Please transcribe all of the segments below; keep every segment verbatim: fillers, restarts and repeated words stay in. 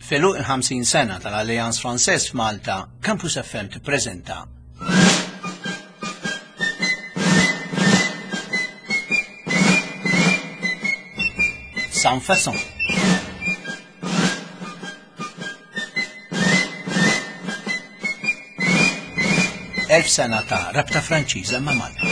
F'għeluq il-ħamsin sena tal-Alliance Française f'Malta, Campus F M tippreżenta Sans Façon. Elf sena ta' rabta Franċiża ma' Malta.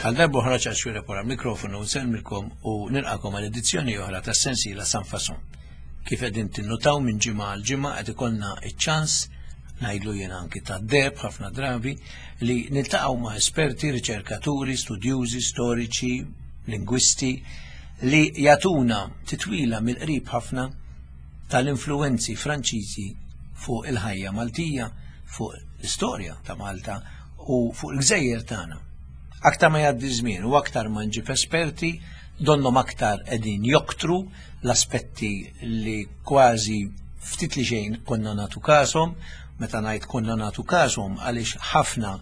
Għal darba oħra ċaċwira wara mikrofonu nsellmilkom u nilqakom għal edizzjoni oħra tas sensiela Sans Façon. Kif qegħdin tinnutaw minn ġimgħa għal ġimgħa qed ikollna iċ-ċans, ngħidlu jien anki ta' deb ħafna drabi, li niltaqgħu ma' esperti, riċerkaturi, studjużi, storiċi, lingwisti li jagħtuna titwila mill-qrib ħafna tal-influwenzi Franċiżi fuq il-ħajja Maltija, fuq l-istorja ta' Malta u fuq il-gżejjer tagħna. Aktar ma jgħaddi żmien u aktar ma nġib esperti, donnom aktar qegħdin joktru l-aspetti li kważi ftit li xejn konna nagħtu każhom. Meta ngħid konna nagħtu każhom, għaliex ħafna,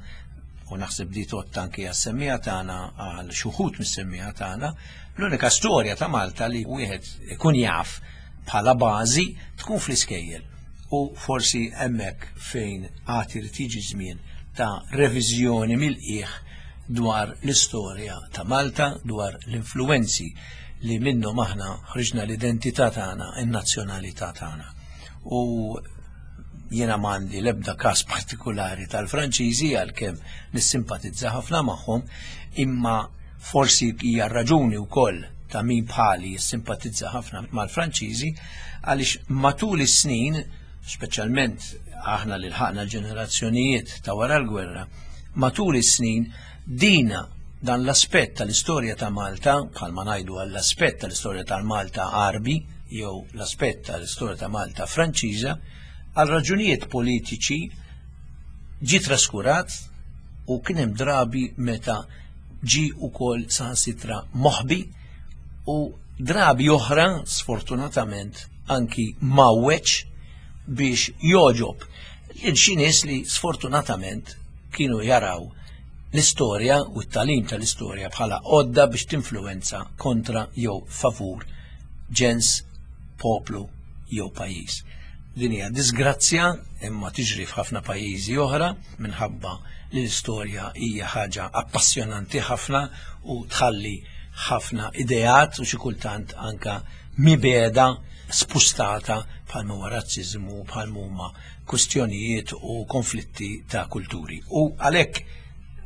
u naħseb di tgħodd anki għas-semmiegħa tagħna, għal xi wħud mis-semmiegħa tagħna, l-unika storja ta' Malta li wieħed ikun jaf bħala bażi tkun fl-iskejjel. U forsi hemmhekk fejn għad irid jiġi żmien ta' reviżjoni mill-qiegħ dwar l-istorja ta' Malta, dwar l-influenzi li minnhom aħna ħriġna l-identità tagħna, in-nazzjonalità tagħna. U jiena m'għandi l-ebda każ partikolari tal-Franċiżi, għalkemm nissimpatizza ħafna magħhom, imma forsi hija raġuni wkoll ta' min bħali jissimpatizza ħafna mal-Franċiżi, għaliex matul is-snin, speċjalment aħna li lħaqna l-ġenerazzjonijiet ta' wara l-gwerra, matul is-snin dina dan l-aspett tal-istorja ta' Malta, bħalma ngħidu għall-aspett tal-istorja tal-Malta Għarbi jew l-aspett tal-istorja ta' Malta Franċiża, għal raġunijiet politiċi ġi traskurat u kien hemm drabi meta ġi wkoll saħansitra moħbi u drabi oħra sfortunatament anki mawweċ biex joġob lil xi nies li sfortunatament kienu jaraw l-istorja u t-tagħlim tal-istorja bħala għodda biex tinfluwenza kontra jew favur ġens, poplu jew pajjiż. Din hija disgrazzja imma tiġri f'ħafna pajjiżi oħra minħabba li l-istorja hija ħaġa appassjonanti ħafna u tħalli ħafna ideat u xi kultant anka mibeda spustata bħalma huwa razziżmu, bħalma huma kwistjonijiet u konflitti ta' kulturi. U għalhekk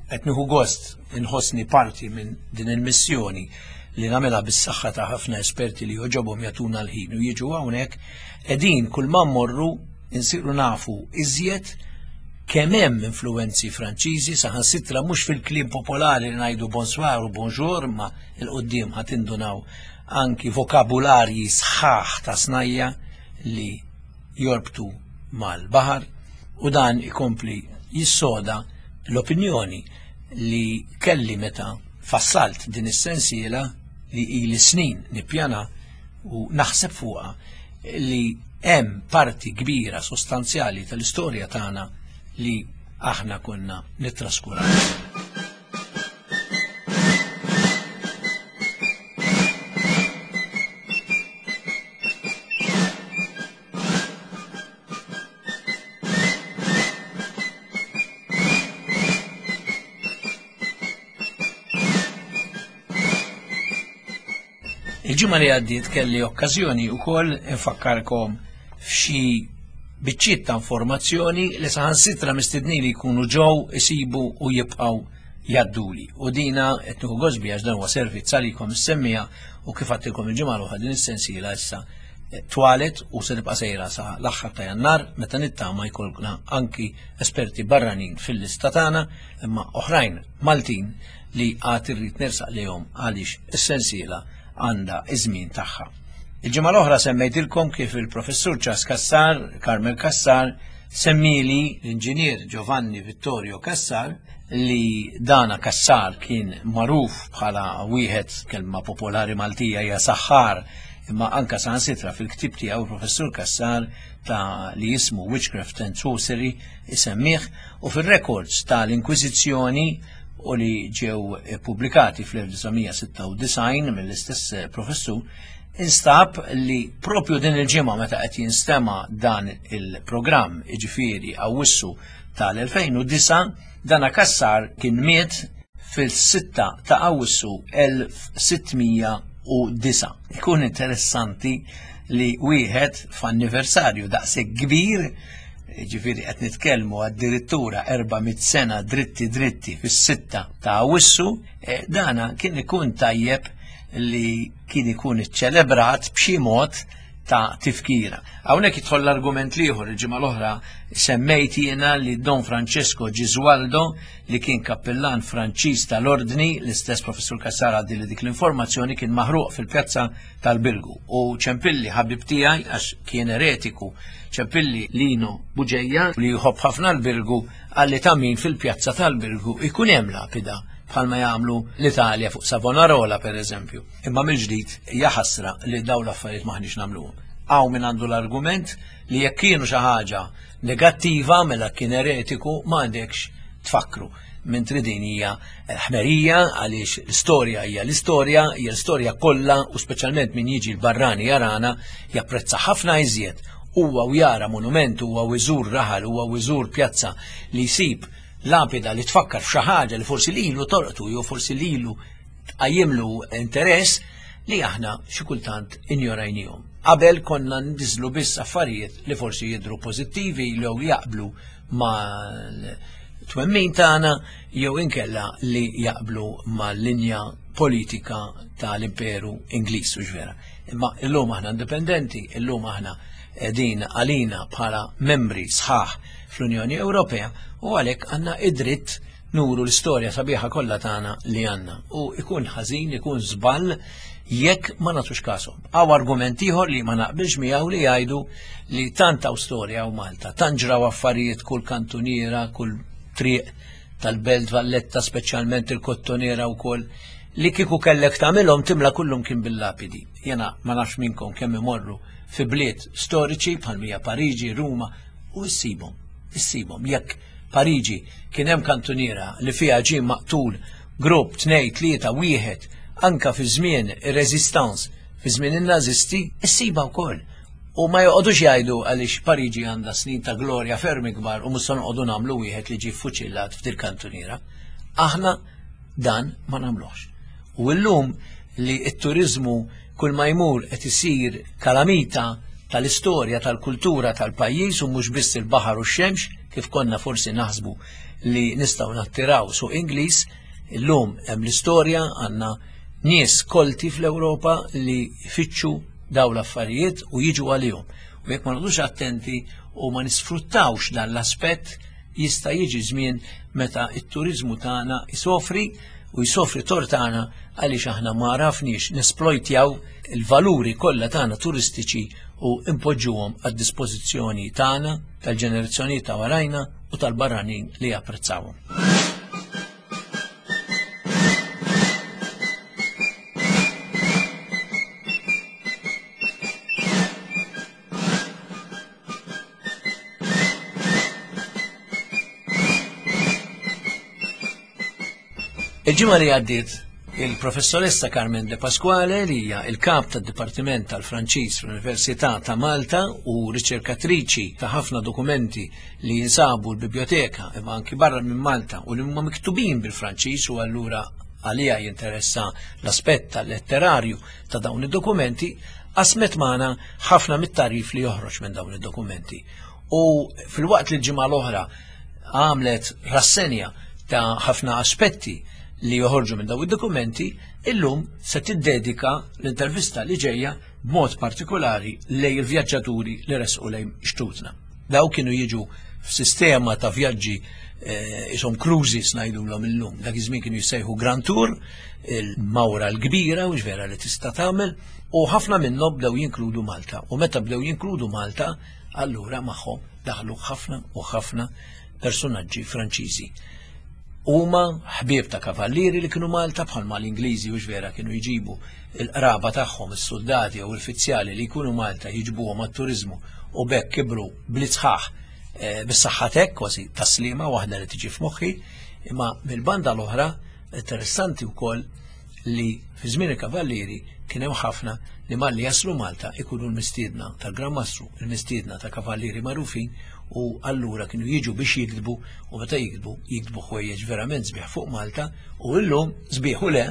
qed nieħu gost inħossni parti minn din il-missjoni li nagħmilha bis-saħħa ta' ħafna esperti li joġobhom jagħtuna l-ħin u jiġu hawnhekk, qegħdin kull ma mmorru insiru nafu iżjed kemm hemm influwenzi Franċiżi, saħansitra mhux fil-kliem popolari li ngħidu bonsoir u bonjour, ma 'l quddiem ħa tindunaw anki vokabularji sħaħ ta' snajja li jorbtu mal-baħar, u dan ikompli jissoda l-opinjoni li kelli meta fassalt din is-sensiela li ili snin nippjana u naħseb fuqha, li hemm parti kbira sostanzjali tal-istorja tagħna li aħna konna nittraskuraw. Il-ġimgħa li għaddiet kelli okkażjoni wkoll infakkarkom f'xi biċċiet ta' informazzjoni li saħansitra mistednin li jkunu ġew isibu u jibqgħu jgħadduli. U dina qed nieħu gost biha għax dan huwa servizz għalikom is-semmiegħa, u kif għadtilkom il-ġimgħa l-oħra din is-sensiela issa twalet u se nibqa' sejra sa l-aħħar ta' Jannar meta nittama jkollna anki esperti barranin fil-lista tagħna, imma oħrajn Maltin li għad irrid nersaq lejhom għaliex is-sensiela għandha iż-żmien tagħha. Il-ġimgħa l-oħra semmejtilkom kif il-professur Charles Cassar, Carmel Cassar, Semmili l-inġinier Giovanni Vittorio Cassar li dana Cassar kien magħruf bħala wieħed, kelma popolari Maltija hija saħħar, imma anka saħansitra fil-ktib tiegħu professur Cassar ta' li jismu Witchcraft and Sorcery isemmih, u fil-records tal-Inkwiżizzjoni u li ġew pubblikati fl-elf disa' sitta u disgħin mill-istess professur, instab li propju din il-ġimgħa meta qed jinstema' dan il-programm, jiġifieri Awwissu tal-elfejn u disa', dana Cassar kien miet fil-sitta ta' Awwissu elf sittmija u disa'. Ikun interessanti li wieħed f'anniversarju daqshekk kbir, ġifieri qed nitkellmu addirittura erba' mitt sena dritti dritti fis-sitta ta' Awwissu, eh, dana kien ikun tajjeb li kien ikun iċċelebrat b'xi mod ta' tifkira. Hawnhekk jidħol l-argument l-ieħor, il-ġimgħa l-oħra semmejt jiena li Don Francesco Gesualdo, li kien kappellan Franċiż tal-Ordni, l-istess professur Cassar għaddi li dik l-informazzjoni, kien maħruq fil-pjazza tal-Birgu. U ċempilli ħabib tiegħi, għax kien eretiku, ċempilli Lino Buġeja li jħobb ħafna l-Birgu, għalli ta' min fil-pjazza tal-Birgu ikun hemm lapida bħalma jagħmlu l-Italja fuq Savonarola per eżempju. Imma mill-ġdid hija ħasra li dawn l-affarijiet maħniex nagħmluhom. Hawn min għandu l-argument li jekk kienu xi ħaġa negattiva mela kien eretiku ma għandekx tfakru. Mentri din hija ħmerija għaliex l-istorja hija l-istorja, hija l-istorja kollha, u speċjalment min jiġi l-barrani jarana japprezza ħafna iżjed huwa u jara monument, huwa u jżur raħal, huwa u jżur pjazza li jsib lapida li tfakkar f'xi ħaġa li forsi lilu torqtu jew forsi lilu tqajjimlu interess li aħna xi kultant injorajnihom. Qabel konna nbiżlu biss affarijiet li forsi jidhru pożittivi jew jaqblu mal-twemmin tagħna jew inkella li jaqblu mal-linja politika tal-Imperu Ingliż, u vera. Imma illum aħna indipendenti, illum aħna qegħdin għalina bħala membri sħaħ fl-Unjoni Ewropea, u għalhekk għandna id-dritt nuru l-istorja sabiħa kollha tagħna li għandna. U ikun ħażin, ikun żball jekk ma nagħtux kasom. Hawn argument ieħor li ma naqbilx miegħu li jgħidu li tant hawn storja hawn Malta, tant ġraw affarijiet kull kantuniera, kull triq tal-Belt Valletta, speċjalment il-Kottonera wkoll, li kieku kellek tagħmilhom timla kullum kien bil-lapidi. Jiena ma nafx minnkom kemm imorru fi bliet storiċi bħal mija Pariġi, Ruma, u issibhom, issibhom. Jekk Pariġi kien hemm kantuniera li fiha ġie maqtul grupp tnejn, tlieta, wieħed, anka fi żmien ir-Resistance, fi żmien in-Nazisti, issiba wkoll. U ma joqogħdux jgħidu għaliex Pariġi għandha snin ta' glorja ferm ikbar u mhux se noqogħdu nagħmlu wieħed li ġie ffuċillat f'dil kantuniera. Aħna dan ma nagħmluhx. U llum li t-turiżmu kull ma jmur qed isir kalamita tal-istorja, tal-kultura tal-pajjiż, u mhux biss il-baħar u x-xemx, kif konna forsi naħsbu li nistgħu nattiraw suq Ingliż, illum hemm l-istorja, għandna nies kolti fl-Ewropa li jfittxu daw l-affarijiet u jiġu għalihom. U jekk ma noqogħdux attenti u ma nisfruttawx dan l-aspett, jista' jiġi żmien meta t-turiżmu tagħna jsofri, u jsofri tort tagħna għaliex aħna ma għarafniex nesplojtjaw il-valuri kollha tagħna turistiċi u impoġġuhom għad-dispożizzjoni tagħna, tal-ġenerazzjoni ta' warajna u tal-barranin li japprezzawhom. Il-ġimgħa li għaddiet, il-professoressa Carmen De Pasquale, li hija il-kap tad-Dipartiment tal-Franċiż fl-Università ta' Malta u riċerkatriċi ta' ħafna dokumenti li jinsabu l-biblioteka imma anki barra minn Malta u li huma miktubin bil-Franċiż, u allura għalija jinteressa l-aspett tal-letterarju ta' dawn id-dokumenti, qasmet magħna ħafna mit-tarif li joħroġ minn dawn id-dokumenti. U fil-waqt li l-ġimgħa l-oħra għamlet rassenja ta' ħafna aspetti li joħorġu minn dawn id-dokumenti, illum se tiddedika l-intervista li ġejja b'mod partikolari lejn il-vjaġġaturi li resqu lejn xtutna. Daw kienu jiġu f'sistema ta' vjaġġi, eh, isom cruises ngħidulhom illum. Dak iż-żmien kienu jissejħu Grand Tour, il-mawra l-kbira u vera li tista' tagħmel, u ħafna minnhom bdew jinkludu Malta. U meta bdew jinkludu Malta, allura magħhom daħlu ħafna u ħafna personaġġi Franċiżi. Huma ħbieb ta' kavallieri li kienu Malta bħalma l-Ingliżi u vera kienu jġibu il-qraba tagħhom, is-soldati u l-uffiċjali li jkunu Malta jiġbuhom għat-turiżmu u bekk kibru bl-isħaħ eh, bis-saħħa kważi taslima waħda li tiġi f'moħħi, imma mill-banda l-oħra interessanti wkoll li fi żmien il-kavallieri kien hemm ħafna li malli jaslu Malta ikunu l-mistiedna tal-Gran Mastru, il-mistiedna ta' kavallieri magħrufin u allura kienu jiġu biex jiktbu u meta jiktbu jiktbu ħwejjeġ verament sbieħ fuq Malta u illum sbieħ u le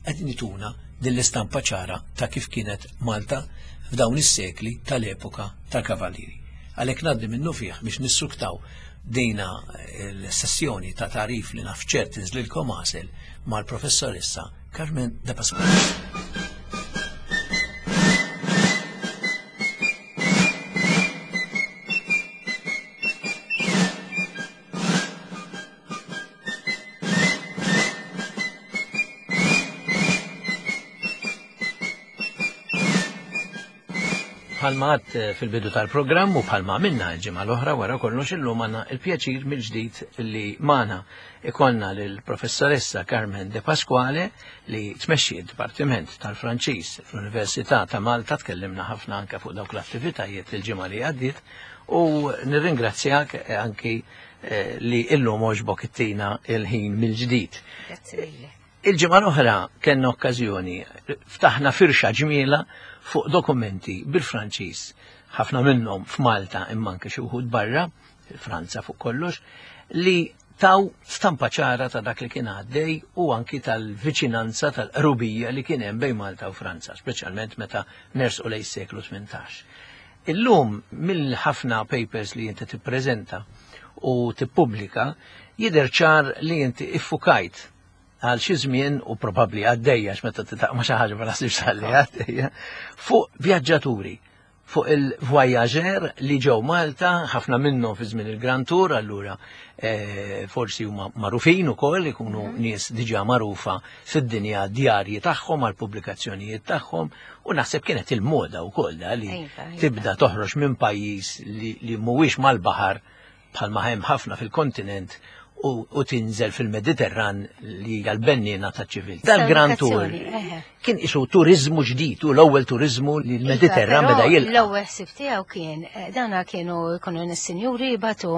qed nituna din l-istampa ċara ta' kif kienet Malta f'dawn is-sekli tal-epoka tal-kavallieri. Għalhekk ngħaddi minnu fih biex nissuktaw dina l-sessjoni ta' tarif li naf ċert tinżlilkom għasel mal-professoressa Carmen De Pasquale. Bħalma għadt fil-bidu tal-programm u bħalma minna l-ġimgħa l-oħra wara kollox illum għandna il-pjaċir mill-ġdid li magħna ikollna lill-professoressa Carmen De Pasquale li tmexxi d-Dipartiment tal-Franċiż fl-Università ta' Malta. Tkellimna ħafna anke fuq dawk l-attivitajiet il-ġimgħa li għaddiet u nirringrazzjak anki li illum għoġbok ittina il-ħin mill-ġdid. Grazzi lilek. Il-ġimgħa l-oħra kellna okkażjoni ftaħna firxa ġmiela fuq dokumenti bil-Franċiż, ħafna minnhom f'Malta imma anke xi wħud barra, Franza fuq kollox, li taw stampa ċara ta' dak li kien għaddej u anki tal-viċinanza tal-qrubija li kien hemm bejn Malta u Franza, speċjalment meta nersqu lejn is-seklu tmintax. Illum mill-ħafna papers li inti tippreżenta u tippubblika jidher ċar li inti iffukajt għal xi żmien u probabbli għaddejja meta titaq ma xi ħaġa ma naħsibx ħalli għaddejja fuq vjaġġaturi, fuq il-voyager li ġew Malta, ħafna minnhom fi żmien il-Grand Tour, allura eh, forsi huma magħrufin ukoll, ikunu nies diġà magħrufa fid-dinja djarji tagħhom għal pubblikazzjonijiet tagħhom, u naħseb kienet il-moda wkoll da li Iva, iva. tibda toħroġ minn pajjiż li, li mhuwiex mal-baħar bħalma hemm ħafna fil-kontinent u, u tinżel fil-Mediterran li hija l-bennina ta' ċivil. Dal-Grand Tour Edukazzjoni, eħe. kien isu turizmu ġdid u l-ewwel turizmu li l-Mediterran Iva, beda però jilqa'. L-ewwel ħsieb tiegħu kien eh, dawna kienu jkunu nis-sinjuri jibatu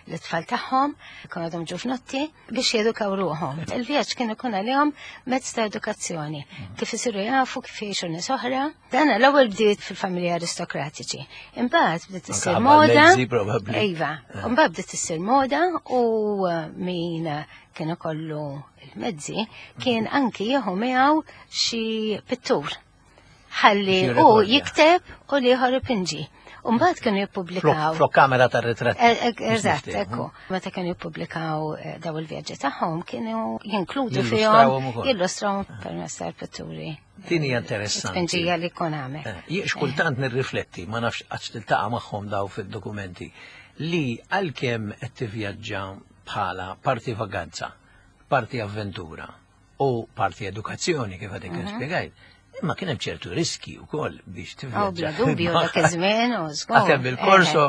l-tfal tagħhom, jkunu għadhom ġufnotti biex jedukaw ruħhom. Il-vjaġġ kien ikun għalihom mezz ta' edukazzjoni, kif isiru jafu kif jgħixu nies oħra. Dana l-ewwel bdiet fil-familji aristokratiċi. Imbagħad bdiet Anke issir ħabba moda. l-mezzi, probabbli. Iva, imbagħad bdiet issir moda u eh, min kien ikollu il-mezzi kien anki jieħu miegħu xi pittur. Ħalli Xi u rekordja. jikteb u l-ieħor ipinġi. U mbagħad kienu jippubblikaw. Flok kamera tar ritratt. Eh, eh, Eżatt, ekku. Meta kienu jippubblikaw eh, daw il-vjaġġi tagħhom kienu jinkludu fihom Jillustrawhom ukoll. jillustrawhom permezz tal-pitturi. Din hija interessanti. Tpinġija li jkun għamel. Eh, Jien xkultant nirrifletti, ma nafx għax tiltaqa' magħhom daw fid-dokumenti, li għalkemm qed tivvjaġġa bħala parti vaganza, parti avventura u parti edukazzjoni kif għadek mm spjegajt, imma kien hemm ċertu riski wkoll biex Oh, tivvjaġġa. bla dubju dak iż-żmien u żgur. Għatem il-korso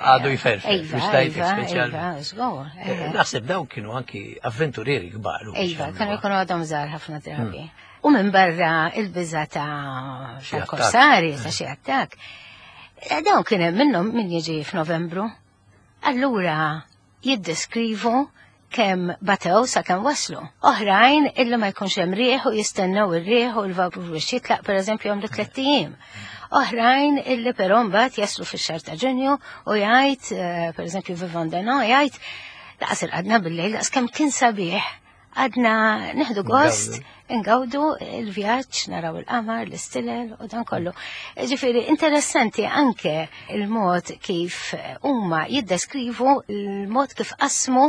għadu jferfer, Iva, biex tajtek iva, speċjal. iva, żgur. Eh, eħe. Naħseb dawn kienu anki avventurieri kbar. u biex Iva, jagħmluha. kienu jkunu għadhom żgħar ħafna drabi. U minn barra il-biża ta' Xi ta' attakk. korsari, ta' xi attakk. Eh, Dawn kien hemm minnhom min jiġi f'Novembru. Allura jiddeskrivu kemm batew sa kemm waslu. Oħrajn illi ma jkunx hemm rieħ u jistennew ir-rieħ u l-vapur biex jitlaq pereżempju jagħmlu tliet ijiem. Oħrajn illi però mbagħad jaslu fix-xahar ta' Ġunju u jgħid eh, pereżempju Vivant Denon jgħid laqas irqadna bil-lejl laqas kemm kien sabiħ għadna neħdu gost ingawdu il-vjaġġ, naraw il-qamar, l-istilel u dan kollu. Ġifieri, interessanti anke il-mod kif huma jiddeskrivu il-mod kif qasmu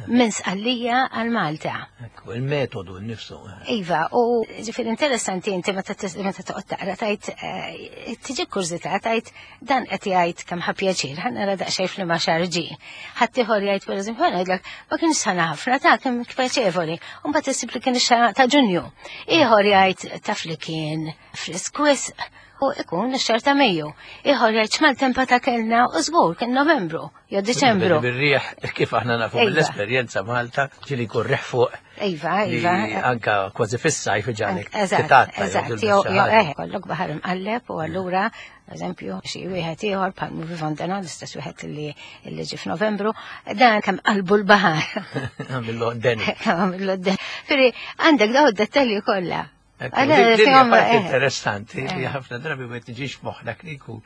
minn Sqallija għal Malta. Ekku, il-metodu nnifsu. eh. Iva, u ġifieri interessanti inti meta tis- meta toqgħod taqra tajt eh, tiġi kurżità tajt dan qed jgħid kemm ħa pjaċir, ħa nara daqsxejn f'liema xahar ġie. Ħadd ieħor jgħid pereżempju ngħidlek ma kienx sħana ħafna ta' kemm pjaċevoli. U mbagħad issib li kien ix-xahar ta' Ġunju. Ieħor jgħid taf li kien frisk wisq u ikun ix-xahar ta' Mejju. Ieħor jgħid x'maltempa ta' kellna u żgur kien Novembru jew Diċembru. Bir-riħ kif aħna nafu Iva. mill-esperjenza Malta, ġieli jkun riħ fuq Iva, li iva. anka kważi fis-sajf iġagħlek Eżatt, titatta, jew eżatt, tilbes jew xi jew ħaġa. eh, kollok baħar imqalleb u allura, eżempju, xi wieħed ieħor bħal Vivant Denon, l-istess wieħed li li ġie f'Novembru, dan kemm qalbu l-baħar. Għamillu deni. Kemm għamillu d Firri, għandek daw id-dettalji kollha. Ekku, Għala, din- din hija fihom, parti eh. interessanti li Eh. ħafna drabi ma tiġix moħħna li jkun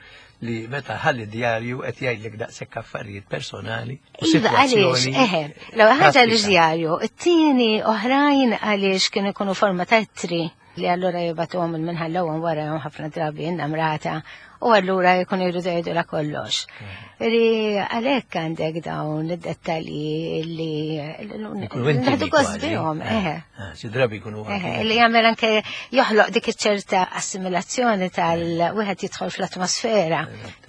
li meta ħalli djarju qed jgħidlek daqshekk affarijiet personali u Iva, għaliex, sitwazzjoni eħe, l ħaġa pratika. l-djarju, it-tieni oħrajn għaliex kienu jkunu forma ta' ittri li allura jibatuhom il-minħallawhom wara jom ħafna drabi innamrata u allura jkunu jridu jgħidu la kollox. Ri għalhekk għandek dawn id-dettalji li Ikunu intimi naħdu gost kważi. bihom, Eh, eħe. eh, Xi drabi jkunu Eħe, anki- li jagħmel anke joħloq dik iċ-ċerta assimilazzjoni tal-wieħed jidħol fl-atmosfera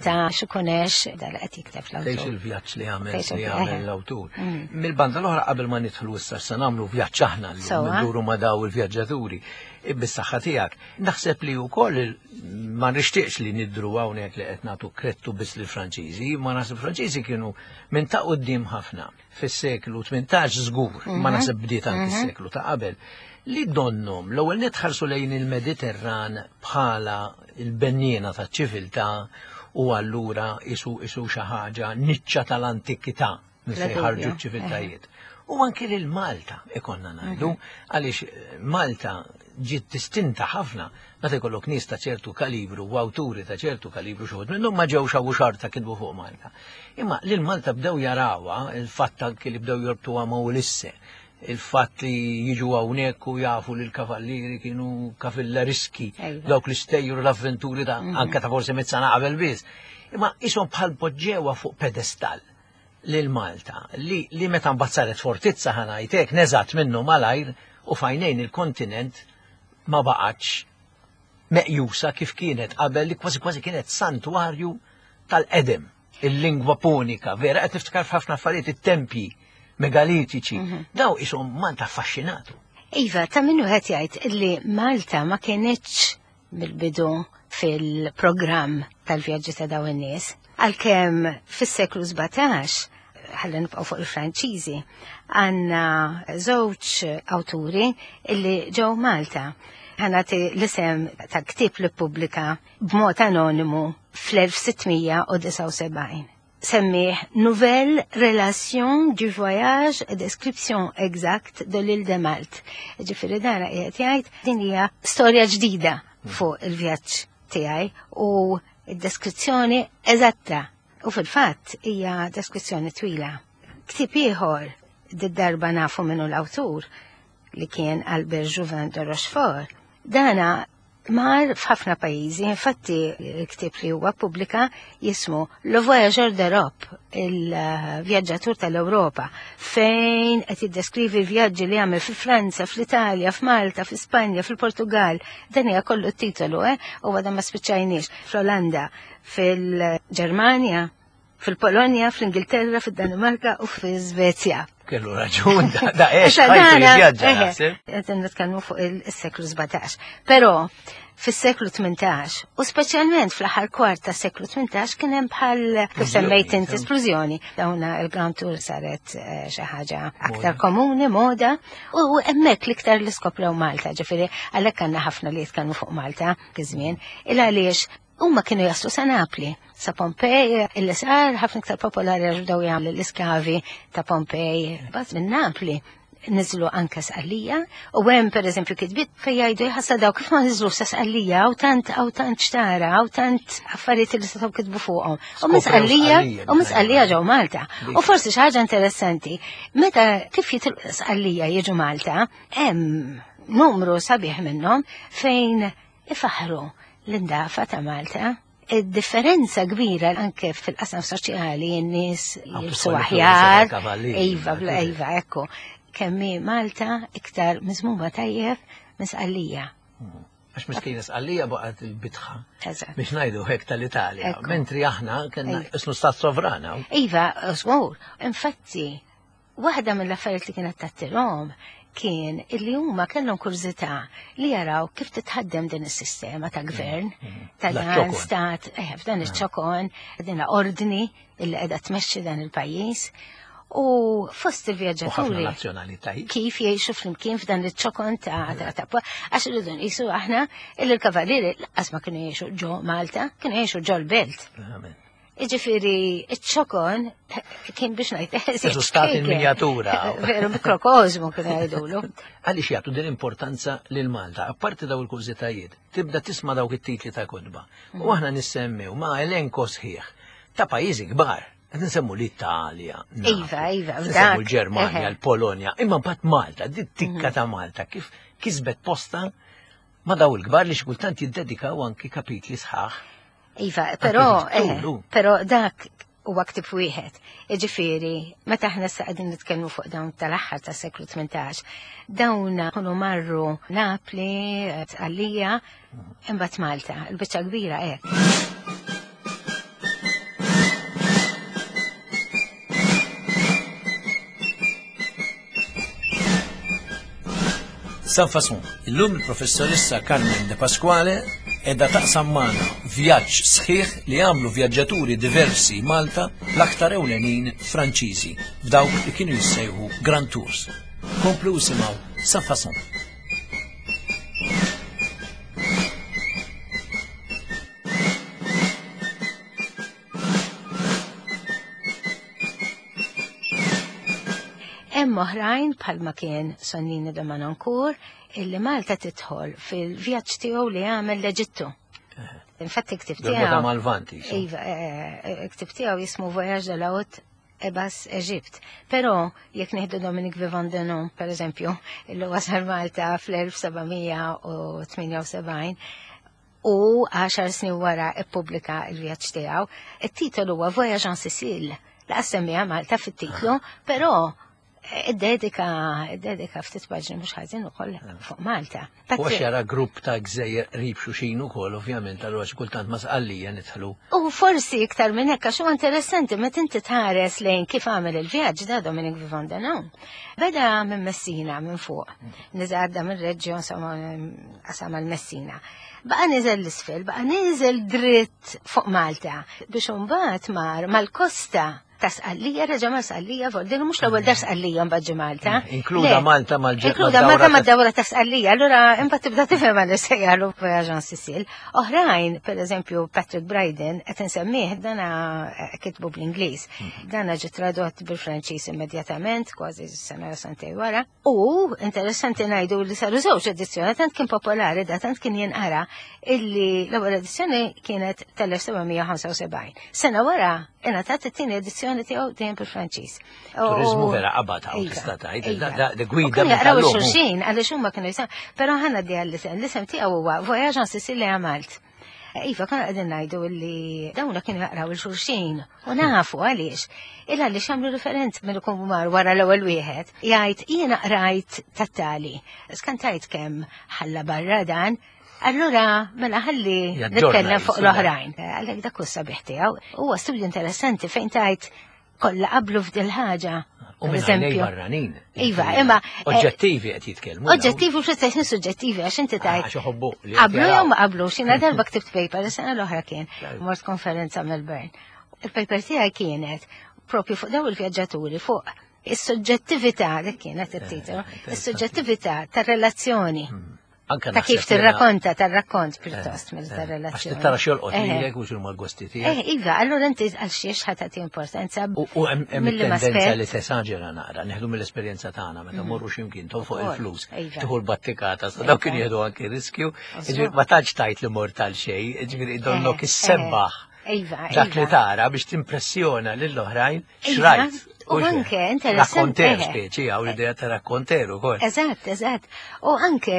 ta' x'ikunex dal qed jikteb Tgħix l-awtur. il-vjaġġ li għamel Tgħix li il- għamel eħe. l-awtur. Mm. Mill-banda l-oħra qabel ma nidħlu issa se nagħmlu vjaġġ aħna li Sewwa. nduru ma daw il-vjaġġaturi. Bis-saħħa tiegħek. Naħseb li wkoll il- ma nixtieqx li nidru hawnhekk li qed nagħtu krettu biss lill-Franċiżi, ma naħseb Franċiżi kienu minn ta' quddiem ħafna fis-seklu tmintax żgur, ma Mhm. naħseb bdiet anki s-seklu ta' qabel li donnom l-ewwel nitħarsu lejn il-Mediterran bħala il-benniena taċ-ċiviltà u allura isu isu xi ħaġa niċċa tal-antikità minn Bla fejn ħarġu dubju, ċ-ċiviltajiet. U anki lil Malta ikonna ngħidu, għaliex eh, Malta ġiet distinta ħafna meta jkollok nies ta' ċertu kalibru u awturi ta' ċertu kalibru xi wħud minnhom ma ġewx hawn xorta kitbu fuq Malta. Imma lil Malta bdew jarawha il-fatt anki li bdew jorbtuha ma' Ulisse, il-fatt li jiġu hawnhekk u jafu li l-kavallieri kienu kavalleriski, Ejwa. dawk l-istejjer u l-avventuri ta' anka ta' forsi mitt sena qabel biss. Imma ishom bħal poġġewa fuq pedestal lil Malta li, li meta mbagħad saret fortizza ħa ngħidlek neżat minnu malajr u fajnejn il-kontinent ma baqgħetx meqjusa kif kienet qabel li kważi kważi kienet santwarju tal-qedem, il-lingwa punika, vera qed niftakar f'ħafna affarijiet it-tempji megalitiċi, daw ishom Malta affaxxinatu. Iva, ta' minnu qed jgħid illi Malta ma kienitx mill-bidu fil-programm tal-vjaġġi ta' dawn in-nies. Għalkemm fis-seklu sbatax, ħalli nibqgħu fuq il-Franċiżi, għandna żewġ awturi illi ġew Malta. Ħa nagħti l-isem ta' ktieb li ppubblika b'mod anonimu fl-elf sitt mija u disgħa u sebgħin. Semmih Nouvelle Relation du Voyage et Description Exacte de l'île de Malte. Ġifieri dana qiegħed jgħid din hija storja ġdida fuq il-vjaġġ tiegħi u d-deskrizzjoni eżatta. U fil-fatt hija deskrizzjoni twila. Ktieb ieħor did-darba nafu minnu l-awtur li kien Albert Jouvin de Rochefort. Dana mar f'ħafna pajjiżi, infatti il-ktieb li huwa pubblika jismu Le Voyageur d'Europe, il-vjaġġatur tal-Ewropa, fejn qed jiddeskrivi l-vjaġġi li għamel fi Franza, fl-Italja, f'Malta, f'Ispanja, fil-Portugal. Dan hija kollu t-titolu, eh? U għadha ma spiċċajniex. Fl-Olanda, fil-Ġermanja, fil-Polonja, fl-Ingilterra, fil-Danimarka u fil-Svezja. Kellu raġun, da, da ex, Issa ħajtu dana, jivvjaġġa, eħe, naħseb. qed nitkellmu fuq il-seklu sbatax. Però fis-seklu tmintax, u speċjalment fl-aħħar kwart tas-seklu tmintax kien hemm bħal kif semmejt inti esplużjoni. Dawna il-Grand Tour saret eh, xi ħaġa aktar komuni, moda, u hemmhekk l-iktar li skoprew Malta, ġifieri għalhekk għandna ħafna li jitkellmu fuq Malta kiżmien, il għaliex huma kienu jaslu sa Napli, sa Pompej, illi sar ħafna iktar popolari għax bdew jagħmlu l-iskavi ta' Pompej, bas minn Napli niżlu anka Sqallija, u hemm pereżempju kitbiet fejn jgħidu jħassa daw kif ma niżlu sa Sqallija, hawn tant hawn tant xtara, hawn tant affarijiet li setgħu kitbu fuqhom. U minn Skoprew Sqallija, Sqallija, u minn Sqallija ġew Malta. Dik. U forsi xi ħaġa interessanti, meta kif jitilqu Sqallija jiġu Malta, hemm numru sabiħ minnhom fejn ifaħru l-indafa ta' Malta. Id-differenza kbira anke fil-qasam soċjali, n-nies Għam jilbsu tidħol aħjar, il-kavallieri, iva, bla iva, ekku, kemmi Malta iktar miżmuma tajjeb minn Sqallija. Għax miskina Sqallija baqgħet il-bitħa. Eżatt. Biex ngħidu hekk tal-Italja. Ekku. Mentri aħna kellna Ejja. isnu stat sovrana. Iva, żgur, infatti, waħda mill-affarijiet li kienet tattirhom kien illi huma kellhom kurżità li jaraw kif titħaddem din is-sistema ta' gvern, ta' dan stat, eh, f'dan iċ-ċokon, din ordni illi qiegħda tmexxi dan il-pajjiż. U fost il-vjaġġaturi kif jgħixu flimkien f'dan iċ-ċokon ta' ta' għax irridu nqisu aħna illi l-kavallieri lanqas ma kienu jgħixu ġo Malta, kienu jgħixu ġo l-belt. Iġifiri, iċ-ċokon kien biex ngħid. Eżu stat in miniatura. Veru, mikrokozmu kien jgħidulu. Għaliex jagħtu din importanza lil Malta, apparti daw il-kurżitajiet, tibda tisma' dawk it-titli ta' kotba. U aħna nissemmew ma' elenko sħiħ ta' pajjiżi kbar. Qed nsemmu l-Italja, Iva, iva, nsemmu l-Ġermanja, l-Polonja, imma mbagħad Malta, din tikka ta' Malta kif kisbet posta ma' daw il-kbar li xi kultant jiddedikaw anki kapitli sħaħ. Iva, però, però dak huwa ktieb wieħed. Jiġifieri, meta aħna issa qegħdin nitkellmu fuq dawn tal-aħħar tas-seklu tmintax, dawn kienu marru Napli, Tqallija, imbagħad Malta, il-biċċa kbira hekk. Sans Façon, illum il-professoressa Carmen De Pasquale edha taqsam magħna vjaġġ sħiħ li għamlu vjaġġaturi diversi Malta, l-aktar ewlenin Franċiżi, f'dawk li kienu jissejħu Grand Tours. Komplu isimgħu Sans Façon. Hemm oħrajn bħalma kien Sonnini de Manoncourt illi Malta tidħol fil-vjaġġ tiegħu li għamel l-Eġittu. Infatti ktib tiegħu. Malvanti. Iva, ktib tiegħu jismu Voyage de la Haute et Basse Égypte. Però jekk nieħdu Dominique Vivant Denon, per eżempju, illi wasal Malta fl-elf sebgħamija u tmienja u sebgħin u għaxar snin wara ippubblika l-vjaġġ tiegħu, it-titolu huwa Voyage en Sicile. Laqas semmija Malta fit-titlu, però id-dedika, id-dedika ftit paġni mhux ħażin ukoll fuq Malta. U għax jara grupp ta' gżejjer qrib xulxin ukoll, ovvjament, allura xi kultant ma' Sqallija nidħlu. U forsi iktar minn hekk, għax huwa interessanti meta inti tħares lejn kif għamel il-vjaġġ da Dominique Vivant Denon. Beda minn Messina minn fuq, niżel għadda minn Reggio, insomma, qasam għal Messina. Baqa' niżel l-isfel, baqa' niżel dritt fuq Malta biex imbagħad mar mal-kosta ta' Sqallija, reġa' ma' Sqallija, vol, mhux l-ewwel dar Sqallija mbagħad ġie Malta. Inkluda Malta mal-ġewwa. Inkluda Malta mad-dawra ta' Sqallija, allura imbagħad tibda tifhem għal sejjalu Voyage en Sicile. Oħrajn, per eżempju, Patrick Bryden, qed insemmih, dana kitbu bl-Ingliż. Dana ġie tradott bil-Franċiż immedjatament, kważi sena jew sentejn wara. U interessanti ngħidu li saru żewġ edizzjoni, tant kien popolari, da tant kien jinqara illi l-ewwel edizzjoni kienet tal-elf sebgħamija ħamsa u sebgħin. Sena wara ingħatat it-tieni edizzjoni tiegħu dejjem bil-Franċiż. Turizmu vera qabad hawn tista' tgħid, da gwida minn jaqraw xulxin għaliex huma kienu jisem, però ħanna di għall-isem, l-isem tiegħu huwa Voyage en Sicile à Malte. Iva, konna qegħdin ngħidu li dawna kienu jaqraw il-xulxin u nafu għaliex. Illa għaliex għamlu referenz minn ikun mar wara l-ewwel wieħed. Jgħid jiena qrajt tat-tali. Skantajt kemm ħalla barra dan. Allura, mela ħalli nitkellem fuq l-oħrajn. Għalhekk dak hu sabiħ tiegħu. Huwa studju interessanti fejn tajt kollha qablu f'dil ħaġa. U minn għajnej barranin. Iva, imma oġġettivi qed jitkellmu. Oġġettivi u fl-istess suġġettivi għax inti tajt. Għax iħobbu li qablu jew ma qablux. Jiena darba ktibt paper, is-sena l-oħra kien mort konferenza Melbourne. Il-paper tiegħi kienet propju fuq daw il-vjaġġaturi fuq is-suġġettività, dik kienet it-titolu, is-suġġettività tar-relazzjoni. Ta' kif tirrakkonta, tar-rakkont pjuttost mill tar-relazzjoni. Għax tara x'jolqot lilek u x'huma l-gosti tiegħek. Eh, iva, allura inti għal xiex ħa tagħti importanza. U hemm tendenza li tesaġera naqra, neħdu mill-esperjenza tagħna meta morru x'imkien tonfoq il-flus, tieħu l-battikata, sa dawk kienu jieħdu anki riskju, jiġifieri ma tantx tajt li mort għal xejn, jiġifieri donnok issebbaħ. Iva, dak li tara biex timpressjona lill-oħrajn xrajt. U anke interessanti. Rakkonter speċi, għaw l-idea ta' rakkonter ukoll. Eżatt, eżatt. U anke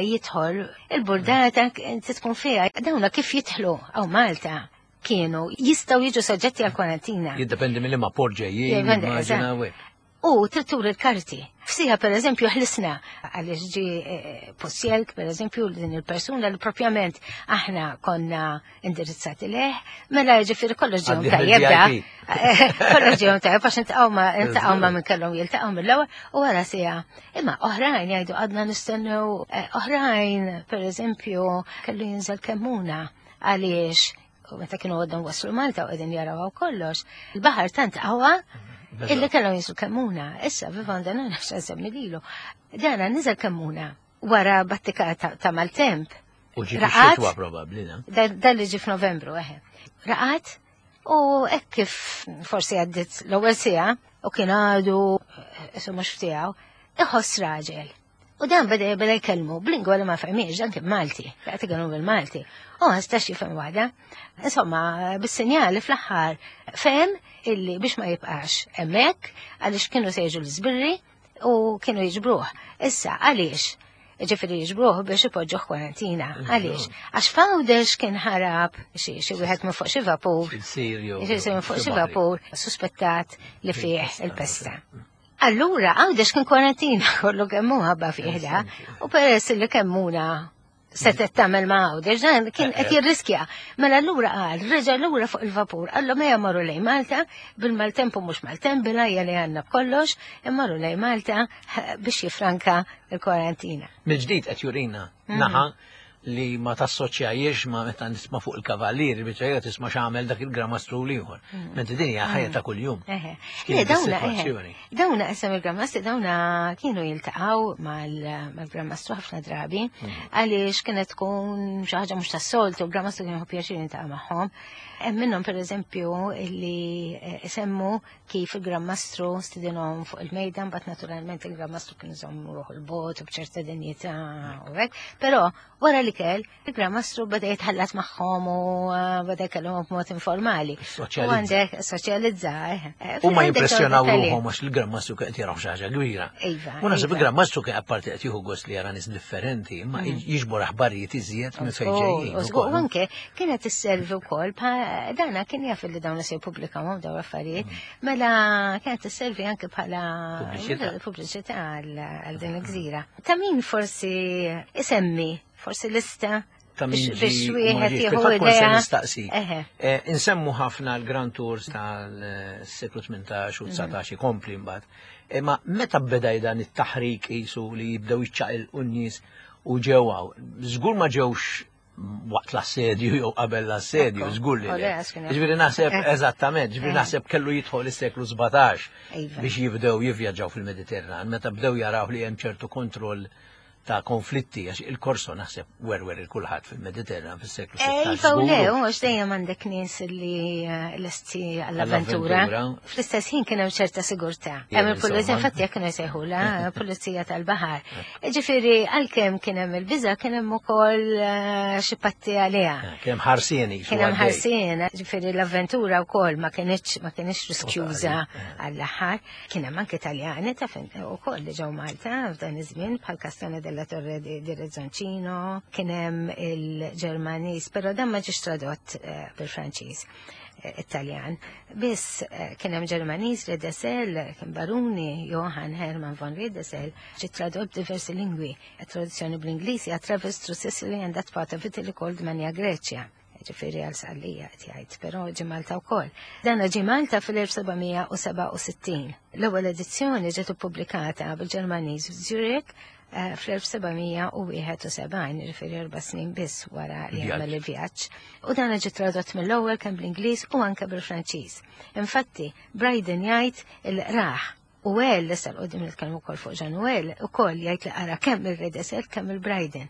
jidħol il-burdata inti tkun fiha, dawna kif jidħlu għaw Malta kienu jistgħu jiġu soġġetti għal kwarantina. Jiddependi mill ma port ġejjin, immaġina u U trid turi l-karti. F'siegħa per eżempju ħlisna għaliex ġi eh, Possielk per eżempju din il-persuna li propjament aħna konna indirizzati leh, mela ġifieri kollox ġejhom Għaddih tajjeb da. mill-V I P. Kollox ġejhom tajjeb għax intaqgħu ma intaqgħu ma minn kellhom jiltaqgħu mill-ewwel u wara siegħa. Imma oħrajn jgħidu għadna nistennew, eh, oħrajn per eżempju kellu jinżel Kemmuna għaliex u meta kienu għadhom waslu Malta u qegħdin jaraw kollox, il-baħar tant qawwa illi kellhom jinżlu Kemmuna. Issa Vivant Denon għax nsemmi lilu. Dana niżel Kemmuna wara battika ta' ta' maltemp. U ġi Raqat. xitwa probabbli, na? Da dan li ġi f'Novembru, eħe. Raqat u hekk kif forsi għaddit l-ewwel siegħa u kien għadu isu mhux ftiegħu, iħoss raġel. U dan beda beda jkellmu b'lingwa li ma fehmiex, dan kien Malti, qed ikellmu bil-Malti. U ma stax jifhem waħda. Insomma, bis-sinjali fl-aħħar fehem illi biex ma jibqax hemmhekk għaliex kienu se jiġu l-żbirri u kienu jiġbruh. Issa, għaliex? Ġifieri jiġbruh biex ipoġġuh kwarantina. Għaliex? Għax f'Għawdex kien ħarab xi xi wieħed minn fuq xi vapur. Xi jew. Xi minn fuq xi vapur suspettat li fih il-pesta. Allura, Għawdex kien kwarantina kollu kemm hu ħabba fih da. U peress li Kemmuna setet tagħmel ma' Għawdex, dan kien qed jirriskja. Mela allura qal, reġa' lura fuq il-vapur, qallu mejja marru lejn Malta, bil-maltemp u mhux maltemp, bil-għajja li għandna b'kollox, immarru lejn Malta biex jifranka il-kwarantina. Mill-ġdid qed jurina naħa li ma tassoċjajiex ma meta nisma' fuq il-kavallieri biċċa tisma' x'għamel dak il-gramastru l-ieħor. Mentri din hija ħajja ta' kuljum. Eħe. X'kienet Le, dawna, eħe. is-sitwazzjoni? Dawna isem il-Granmastri, dawna kienu jiltaqgħu mal-Granmastru ħafna drabi, għaliex kienet tkun xi ħaġa mhux tas-soltu, il-Granmastru kienu pjaċir jiltaqa' magħhom. Hemm minnhom pereżempju illi eh, isemmu kif il-Granmastru stidinhom fuq il-mejda, mbagħad naturalment il-Granmastru kien iżomm ruħu l-bogħod u b'ċerta dinjità u hekk, però wara li kell il-Granmastru beda jitħallat magħhom u eh, beda jkellimhom b'mod informali. U Soċjalizza. għandek soċjalizza, eh. Eh, U ma għandek jimpressjonaw dawn dettalji. ruħhom għax il-Granmastru kien qed jaraw xi ħaġa kbira. Iva, U naħseb iva. il-Granmastru kien apparti qed jieħu gost li jara nies differenti, imma jiġbor aħbarijiet iżjed minn fejn ġejjin. U żgur, ukoll. u anke kienet isservi wkoll pa dana kien jaf li dawn se jippubblikawhom dawn l-affarijiet, mela kienet isservi anke bħala Pubbliċità. pubbliċità għal għal din il-gżira. Ta' min forsi isemmi, forsi lista Ta' min biex biex ġi u ma wieħed ġiex. jieħu Fil-fatt kont se idea. nistaqsi. Eħe. Eh, Insemmu ħafna l-Grand Tours tal-seklu tmintax u dsatax ikompli mbagħad. Imma meta beda dan it-taħrik qisu li jibdew jiċċaqilqu n-nies u ġewwaw, żgur ma ġewx waqt l-assedju jew qabel l-assedju, Ekku. żgur li O le. le, għax kien hemm. Ġifieri naħseb Eh. eżattament, ġifieri Eh. naħseb kellu jidħol is-seklu sbatax Iva. biex jibdew jivvjaġġaw fil-Mediterran, meta bdew jaraw li hemm ċertu kontroll ta' konflitti, għax il-Korso naħseb werwer il-kulħadd fil-Mediterran fis-seklu sittax. Iva u le, żgur. u għax dejjem għandek nies li eh, lesti għall-avventura. Għall-avventura. Fl-istess ħin kien hemm ċerta sigurtà. Jien Hemm il-pulizija, insomma. infatti jekk kienu jsejħula pulizija tal-baħar. Ġifieri għalkemm kien hemm il-biża' kien hemm ukoll eh, xi patti għaliha. Eh, Kien hemm ħarsien Kien hemm ħarsien, ġifieri l-avventura wkoll ma kienx ma kienx riskjuża għall-aħħar. Kien hemm anke Taljani ta' fin ukoll li ġew Malta f'dan iż-żmien bħal Castone della Torre di, di Rezzoncino, kien hemm il-Ġermaniż, però dan ma ġiex tradott eh, bil-Franċiż eh, Italjan. Biss eh, kien hemm Ġermaniż Riedesel, kien baruni Johann Hermann von Riedesel, ġie tradott b'diversi lingwi. Traduzzjoni bl-Ingliż hija Travels through Sicily and that part of Italy called Magna Grecia. Ġifieri għal Sqallija qed jgħid, però ġie Malta wkoll. Dan ġie Malta fil-elf seba' mija u sebgħa u sittin. L-ewwel edizzjoni ġiet ippubblikata bil-Ġermaniż f'Zurich eh, fl-elf seba' mija u wieħed u sebgħin, ġifieri erba' snin biss wara li Il-vjaġġ. għamel il-vjaġġ. U dan ġie tradott mill-ewwel kemm bl-Ingliż u anke bil-Franċiż. Infatti, Bryden jgħid il-raħ u għel, issa l-qoddim nitkellmu wkoll fuq Jean Nouel, ukoll jgħid li qara kemm il-Riedesel kemm il-Bryden.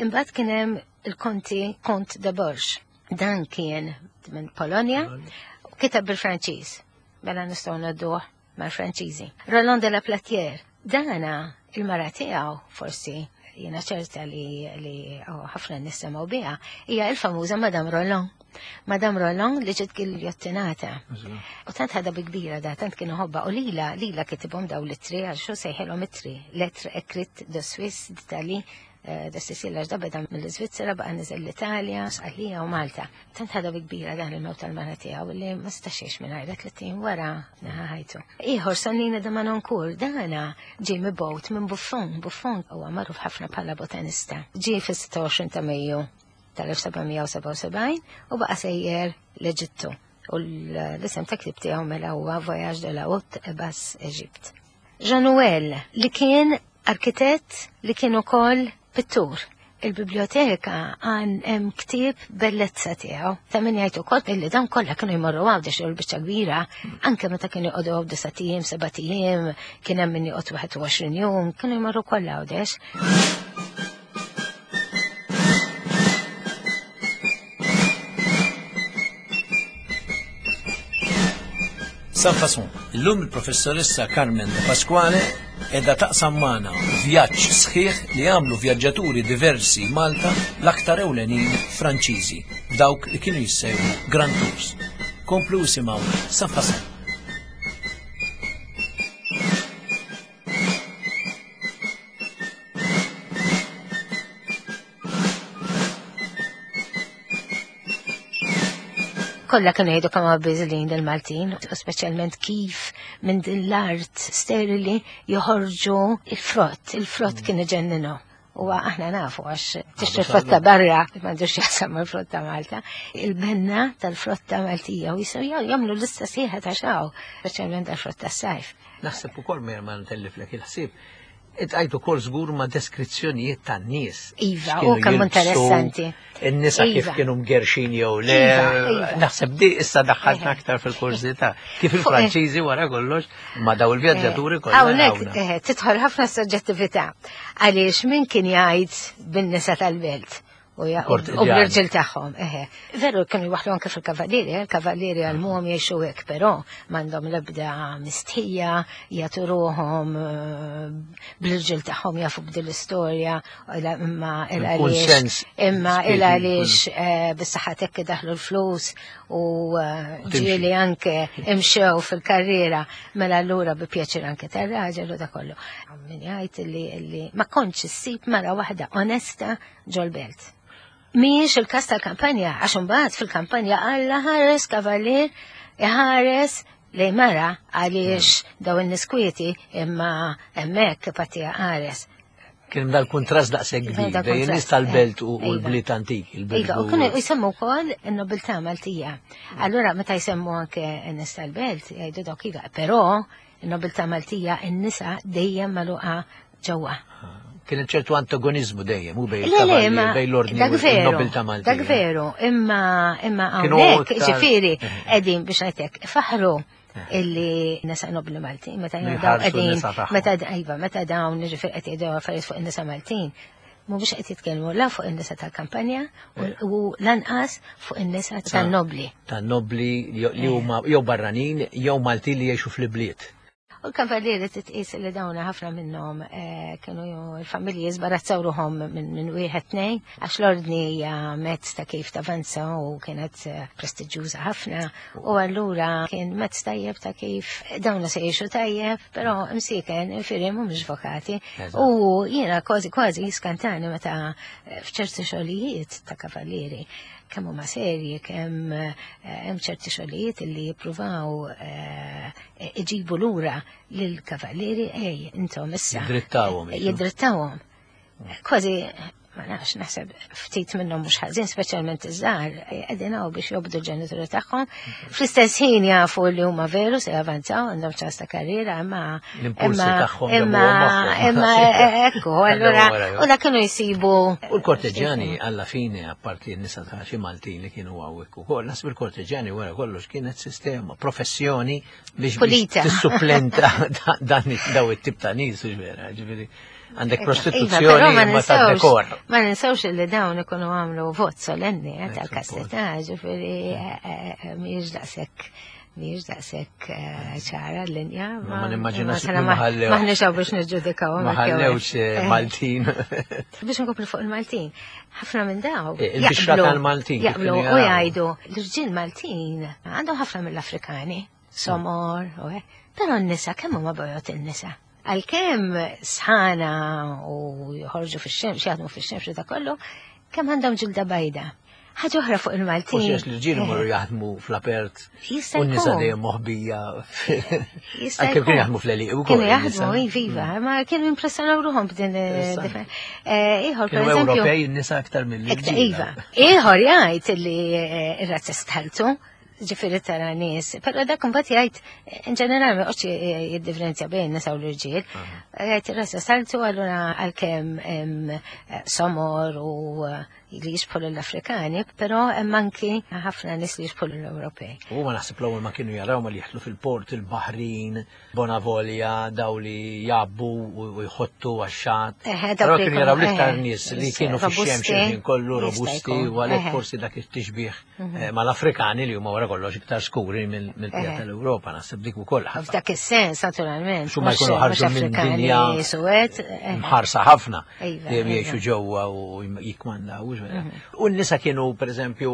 Imbagħad kien hemm il-Konti Kont de Borj. Dan kien minn Polonja u kitab bil-Franċiż. Mela nistgħu ngħadduh mal-Franċiżi. Roland de la Platière, dana il-mara tiegħu forsi jiena ċerta li li oh, ħafna nisimgħu biha, hija il-famuża Madame Roland. Madame Roland li ġiet giljottinata. U tant ħadha bi kbira da, tant kienu ħobba. U lila, lila kitibhom daw l-ittri, għal xu sejħilhom ittri. Lettres écrites de Suisse, d'Italie, De Sisilla ġda beda mill-Iżvizzera baqa' niżel l-Italja, Sqallija u Malta. Tant ħadha bi kbira dan il-mewt tal-mara tiegħu li ma setax jgħix mingħajrha tliet ijiem wara neħa ħajtu. Ieħor Sonnino de Manoncourt, dana ġie mibgħut minn Buffon, Buffon huwa magħruf ħafna bħala botanista. Ġie fis-sitta u għoxrin ta' Mejju tal-elf sebgħamija u sebgħa u sebgħin u baqa' sejjer l-Eġittu. U l-isem ta' ktib tiegħu mela huwa Voyage de la Haute et Basse Égypte. Jean Nouvel, li kien arkitett li kien ukoll pittur. Il-biblioteka għan hemm ktieb bellezza tiegħu. Ta' min jgħid ukoll illi dawn kollha kienu jmorru Għawdex jew l-biċċa kbira, anke meta kienu jqogħdu hawn disa' ijiem, seba' ijiem, kien hemm min joqgħod wieħed u għoxrin jum, kienu jmorru kollha Għawdex. Sans Façon, illum il-professoressa Carmen De Pasquale edha taqsam magħna vjaġġ sħiħ li għamlu vjaġġaturi diversi Malta, l-aktar ewlenin Franċiżi, f'dawk li kienu jissejħu Grand Tours. Komplu isimgħu Sans Façon. Kollha kienu jgħidu kemm biżlin il-Maltin, u speċjalment kif minn din l-art sterili joħorġu il-frott, il-frott kien iġenninu. U aħna nafu għax tixtri frotta barra, m'għandux jaqsam mal-frotta Malta, il-benna tal-frotta Maltija u jistgħu jagħmlu lista sħiħa ta' xaw, speċjalment tal-frotta s-sajf. Naħseb ukoll ma ntelliflek il-ħsieb, Itqajtu kol żgur ma' deskrizzjonijiet tan-nies. Iva, X'kienu u kemm jilbsu, interessanti. In-nisa kif Iva. kienu mgerxin jew le. Iva, iva. Naħseb di issa daħħaltna Eħe. aktar fil-kurżità. Kif Fuq, il-Franċiżi wara kollox ma' daw il-vjaġġaturi Eh, kollha Hawnhekk, hawnna. eh, tidħol ħafna soġġettività. Għaliex min kien jgħid bin-nisa tal-belt u ja- u Kortiġjani. bl-irġiel tagħhom, eħe. Veru kienu jwaħħlu anke fil-kavallieri, eh, il-kavallieri għal-muhom jgħixu hekk, però m'għandhom l-ebda mistħija, jagħtu ruhom, eh, bl-irġiel tagħhom jafu b'din l-istorja, ila-, imma il Kull għaliex sens imma spiriti il għaliex, kull- eh, bis-saħħa hekk daħlu l-flus u, eh, U timxi. ġieli anke imxew fil-karriera, mela allura bi pjaċir anke tar-raġel u da kollu. Min jgħid li, li ma kontx issib mara waħda onesta ġol-belt. Mhijiex il-każ tal-kampanja, għax imbagħad fil-kampanja Alla ħares kavallier iħares lej mara għaliex daw in-niskwieti imma hemmhekk patija ħares. Kien dal-kuntrast daqshekk Kien kbir dal bejn in-nies kuntrast, tal-belt eh, u, u iva. l-bliet antiki, il-belt Iva, u u- kienu jsemmu wkoll in-nobiltà Maltija. Allura meta jsemmu anke n-nies tal-belt jgħidu dawk iva, però in-nobiltà Maltija in-nisa dejjem magħluqa ġewwa. Kien ċertu antagonizmu dejjem, u bejn Le, le, il-kavallieri, ma bejn l-ordni dak u veru, n-nobiltà Maltija. Dak veru, imma, imma Kienu hawnhekk, iktar- ġifieri, Eh. qegħdin biex ngħidlek, faħru illi nisa nobli Maltin, meta Li dawn jħarsu qegħdin, n-nisa tagħhom. meta d-, iva, meta dawn ġifieri qed jgħidu affarijiet fuq in-nisa Maltin, mhumiex qed jitkellmu la fuq in-nisa tal-kampanja u, Eh. u lanqas fuq in-nisa tan-nobli. Tan-nobli li Eh. huma jew barranin jew Maltin li jgħixu fl-ibliet. U l-kavallieri titqis li dawna ħafna minnhom, eh, kienu l-familji żbarazzaw ruhom minn, minn wieħed tnejn, għax l-ordni hija mezz ta' kif tavanza u kienet, eh, prestiġjuża ħafna, u allura kien mezz tajjeb ta' kif dawna se jgħixu tajjeb, però imsiken infiri mhumiex vokati. Eżatt. U jiena kważi kważi jiskantani meta, eh, f'ċerti xogħlijiet ta' kavallieri kemm huma serji, kemm, eh, hemm ċerti xogħlijiet li jippruvaw, eh, iġibu lura lill-kavallieri, ej, intom issa. Jiddrittawhom, jiġu. Jiddrittawhom. Kważi, ma nafx, naħseb ftit minnhom mhux ħażin, speċjalment iż-żgħar, qegħdin hawn biex jobdu l-ġenituri tagħhom. Fl-istess ħin jafu li huma veru se javanzaw, għandhom ċans ta' karriera, imma L-impulsi imma tagħhom imma jabuhom magħhom. imma ekku, Għandhom allura, wara, jew. u dak kienu jsibu. U l-korteġjani alla fine, apparti n-nisa ta' xi Maltin li kienu hawnhekk ukoll, naħseb il-korteġjani wara kollox kienet sistema, professjoni biex biex Pulita. tissuplenta da-, dan daw it-tip ta' nies, hux vera, ġifieri għandek Iva, prostituzzjoni però ma imma ta' ninsewx- dekor. Ma ninsewx li dawn ikunu għamlu vot solenni, eh, Eh, tal-kastità, ġifieri, eh, eh, eh, mhijiex daqshekk, mhijiex daqshekk, eh, ċara l-linja, Ma ma nimmaġinax ma li ma ħallew. Maħniex hawn biex niġġudikaw, Ma ma kew- ħallewx, eh, eh, Maltin. Biex nkomplu fuq il-Maltin, ħafna minn daw Eh, il-bixra jaqblu- tal-Maltin, kif jaqblu kienu u jaraw. jgħidu l-irġiel Maltin għandhom ħafna mill-Afrikani, somor, u hekk. Però n-nisa kemm huma bojot in-nisa? Għalkemm sħana u joħorġu fix-xemx, jaħdmu fix-xemx u da kollu, kemm għandhom ġilda bajda. Ħaġa oħra fuq il-Maltin. Forsi għax l-irġiel imorru jaħdmu fl-apert Jista' u n-nisa jkun. dejjem moħbija. Jista' Għalkemm kienu jkun. jaħdmu fl-għelieqi wkoll. Kienu in-nisa. jaħdmu, iva, ma kienu impressjonaw ruħhom b'din Interessanti. Ieħor, per Kienu eżempju, Ewropej n-nisa aktar Iktar mill-irġiel. iva. Ieħor jgħid li eh, ir-razza stħaltu, ġifieri tara nies, però dak imbagħad jgħid in ġenerali ma joqgħodx jiddifferenzja bejn nisa u l-irġiel. Jgħid ir-razza stħaltu allura għalkemm hemm eh, somor u eh, li jixbħu l-Afrikani, però hemm anki ħafna nies li jixbħu l-Ewropej. U ma naħseb l-ewwel ma kienu jaraw ma li jidħlu fil-port il-Baħrin, Bonavolja, daw li jabbu u u jħottu għax-xatt. Eħe, dawk Però li kienu jaraw jkunu- l-iktar eħe, nies li kienu fix-xemx robusti, il-ħin kollu jista' robusti jkun, u għalhekk eħe. forsi dak it-tixbih eh, mal-Afrikani li huma wara kollox iktar skuri mill-pija Eħe. tal-Ewropa, naħseb dik ukoll ħafna. F'dak is-sens, naturalment. Xu ma mhux- jkunu ħarġu mhux minn Afrikani dinja suwed, eħe. mħarsa ħafna Iva, li iva. jgħixu ġewwa u jikmandaw. U n-nisa kienu, per eżempju,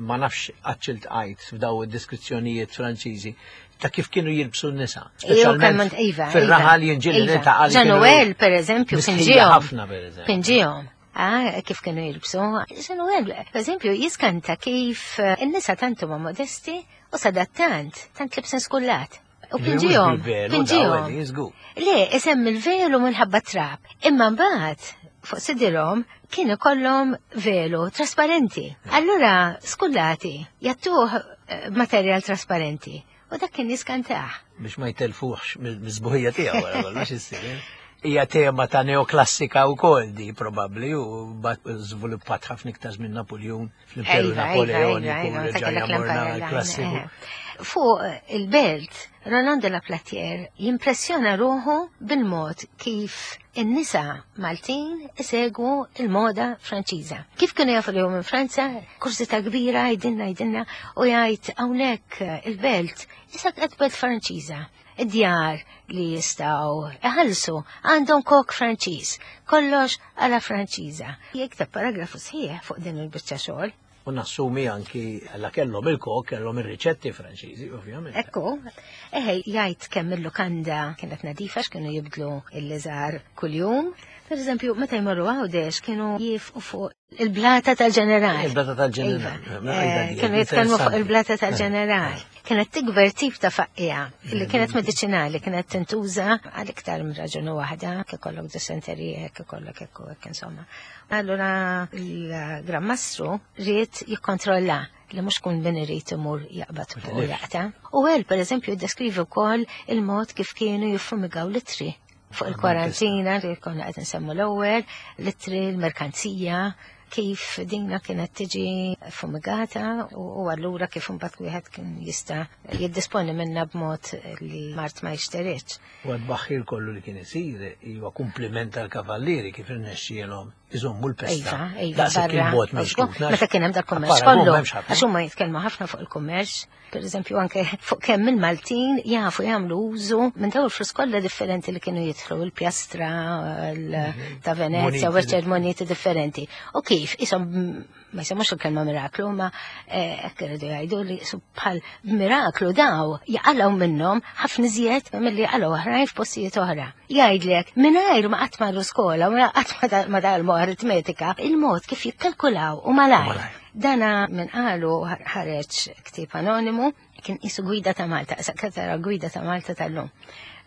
ma nafx għax iltqajt f'daw id-deskrizzjonijiet Franċiżi ta' kif kienu jilbsu n-nisa. Iju kemm iva. Fil-raħal jien ġieli iva. niltaqa' li kienu Jean-Noël, per eżempju, mistħija pinġihom. ħafna, per eżempju. Pinġihom. Ah, kif kienu jilbsu. Jean-Noël, per eżempju, jiskanta kif eh, in-nisa tantu ma modesti u sadattant, tant libsin skullat. U pinġihom. Pinġihom. Le, isem il-velu minħabba trab. Imma mbagħad fuq sidirhom kien ikollhom velu trasparenti. Allura skullati jattuh eh, materjal trasparenti. U dak kien jiskantah. Biex ma jtelfuħx mill-sbuħija tiegħu wara kollox issir. eh? Hija tema ta' neoklassika wkoll di probabbli u bat żviluppat ħafna iktar minn Napoleon fl-Imperu Iva, iva, Napoleoniku iva, iva, reġa' ta' kellek morna l-Empire klassiku. Line, eh. Fuq il-belt, Roland de la Platière jimpressjona ruħu bil-mod kif in-nisa Maltin isegwu il-moda Franċiża. Kif kienu jafu li hu minn Franza, kurżità kbira jgħidilna jgħidilna u jgħid hawnhekk il-belt issa qed belt Franċiża. Id-djar li jistgħu iħallsu għandhom kok Franċiż, kollox għala Franċiża. Jikteb paragrafu sħiħ fuq din il-biċċa xogħol. U nassumi anki la kellhom il-kok, kellhom ir-riċetti Franċiżi, ovvjament. Ekku, eħe, jgħid kemm il-lukanda kienet nadifa x'kienu jibdlu il-liżar kuljum. Per eżempju, meta jmorru Għawdex kienu jifqu fuq il-blata tal-ġeneral. Il-blata tal-ġeneral. Iva. Mela, għajda Eh, di, Kienu jitkellmu fuq interessanti. il-blata tal-ġeneral. Kienet tikber tip ta' faqqija li kienet medicinali, kienet tintuża għal iktar minn raġuni waħda, kif ikollok dysenterija, kif ikollok hekk u hekk insomma. Allura il-Gran Mastru ried jikkontrolla li mhux kun min irid imur jaqbad u jaqta. U għel, per eżempju, jiddeskrivi wkoll il-mod kif kienu jiffumigaw l-ittri fuq il-kwarantina li konna qed nsemmu l-ewwel, l-ittri, l-merkanzija, kif dinna kienet tiġi fumigata u u allura kif imbagħad wieħed kien jista' jiddisponi minna b'mod li mard ma jixteridx. U għad-baħħir kollu li kien isir huwa kompliment tal-kavallieri kif irnexxielhom iżommu l-pesta. Iva, iva, Daqshekk barra. il-bot minn xtutna. Meta kien hemm dal-kummerċ Appara, kollu, m'hemmx ħafna. għax huma jitkellmu ħafna fuq il-kummerċ, per eżempju anke fuq kemm il-Maltin jafu jagħmlu użu minn dawn il-flus kollha differenti li kienu jidħlu il-pjastra il- ta' Venezia, Moneti u eċċetera, moneti differenti. U kif, isom ma jisemmux il-kelma miraklu, ma eh, hekk iridu jgħidu li su bħal miraklu daw jaqalgħu minnhom ħafna iżjed milli jaqalgħu oħrajn f'postijiet oħra. Jgħidlek mingħajr ma qatt marru skola u qatt ma da- ma dalmu aritmetika, il-mod kif jikkalkulaw u malajr. Malajr. Dana minn qalu ħareġ ktieb anonimu kien isu gwida ta' Malta, sekretara gwida ta' Malta tal-lum.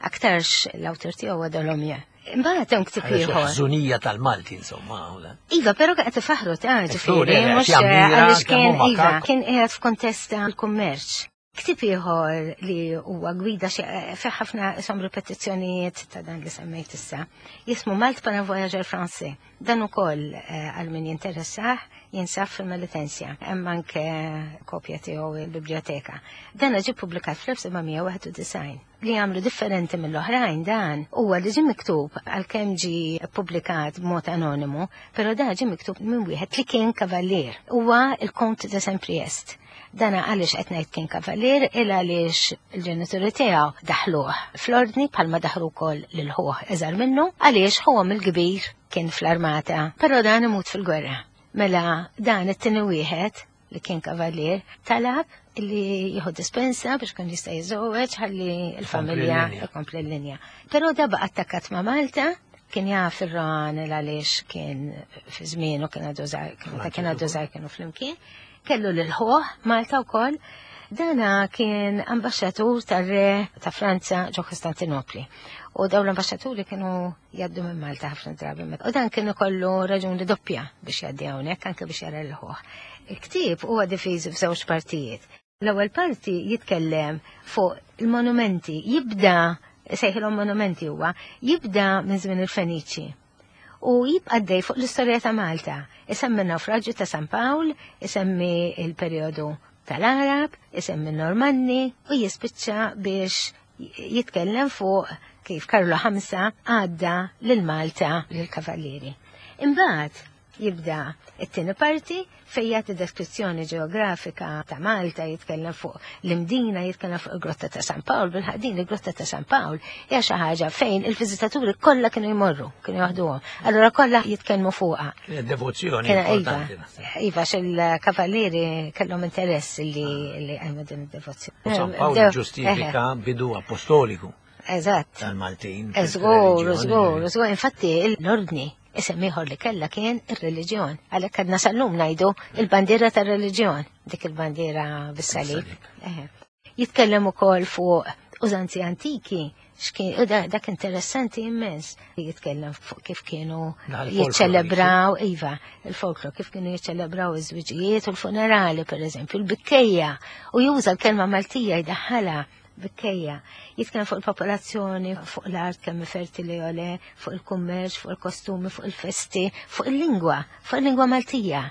Aktarx l-awtur tiegħu huwa Dolomja. Imbagħad hemm ktieb ieħor. Ħżunija tal-Malti, insomma. u la. Iva, però qed ifaħru ta' ġifieri, le, mhux jammira għaliex kemm kien huma iva, kak. kien qiegħed f'kontest tal-kummerċ. Ktieb ieħor li huwa gwida xi fih ħafna isom ripetizzjonijiet ta' dan li semmejt issa. Jismu Malte par un voyageur français. Dan ukoll eh, għal min jinteressah jinsab fil-Melitensia. Hemm anke kopja tiegħu il-biblioteka. Dan ġie ppubblikat fl-elf seba' mija wieħed u disgħin. Li għamlu differenti mill-oħrajn dan huwa li ġie miktub għalkemm ġie ppubblikat b'mod anonimu, però dan ġie miktub minn wieħed li kien kavallier. Huwa il-Kont de Saint-Priest. Dana għaliex qed ngħid kien kavallier il għaliex il-ġenituri tiegħu daħluh fl-ordni bħalma daħlu wkoll lil ħuh iżgħar minnu għaliex ħuhom il-kbir kien fl-armata, però dan imut fil-gwerra. Mela dan it-tieni wieħed li kien kavalier, talab li jieħu dispensa biex kun jista' jiżżewweġ ħalli l-familja ikompli l-linja. Però da baqa' attakkat ma' Malta, kien jaf ir-Rohan għaliex kien fi żmienu kien għadu żgħir, meta kien għadu żgħir kienu flimkien, kellu lil ħuh Malta wkoll. Dana kien ambaxxatur tar-re ta' Franza ġo Kostantinopli. U dawn l-ambaxxaturi kienu jgħaddu minn Malta ħafna drabi. U dan kienu kollu raġuni doppja biex jgħaddi hawnhekk anke biex jara l-ħuh. Il-ktieb huwa diviż f'żewġ partijiet. L-ewwel parti jitkellem fuq il-monumenti, jibda sejħilhom monumenti huwa, jibda minn żmien il-Feniċi. U jibqa' għaddej fuq l-istorja ta' Malta. Isemmi n-nawfraġġju ta' San Pawl, isemmi il-perjodu tal-Arab, isemmi Normanni u jispiċċa biex jitkellem fuq kif Karlu ħamsa għadda lil Malta lil kavallieri. Imbagħad jibda it-tieni parti fejn jagħti deskrizzjoni ġeografika ta' Malta, jitkellem fuq l-Imdina, jitkellem fuq il-Grotta ta' San Pawl, bil-ħadin il-Grotta ta' San Pawl hija xi ħaġa fejn il-viżitaturi kollha kienu jmorru, kienu jaħduhom. Allura kollha jitkellmu fuqha. Kienet devozzjoni importanti. Iva, il-kavallieri kellhom interess li li għajmu din id-devozzjoni. U San Pawl ġustifika bidu apostoliku. Eżatt. Tal-Maltin. Żgur, żgur, żgur. Infatti l-ordni isem ieħor li kellha kien ir-reliġjon. Għalhekk għadna sal-lum ngħidu il-bandiera tar-reliġjon, dik il-bandiera bis-salib. Jitkellem ukoll fuq użanzi antiki, x'kien dak interessanti immens. Jitkellem fuq kif kienu jiċċelebraw, iva, il-folklor, kif kienu jiċċelebraw iż-żwiġijiet u l-funerali, pereżempju, il-bikkejja, u juża l-kelma Maltija jdaħħalha bikkejja. Jitkellem fuq il-popolazzjoni, fuq l-art kemm fertili jew le, fuq il-kummerċ, fuq il-kostumi, fuq il-festi, fuq il-lingwa, fuq il-lingwa Maltija.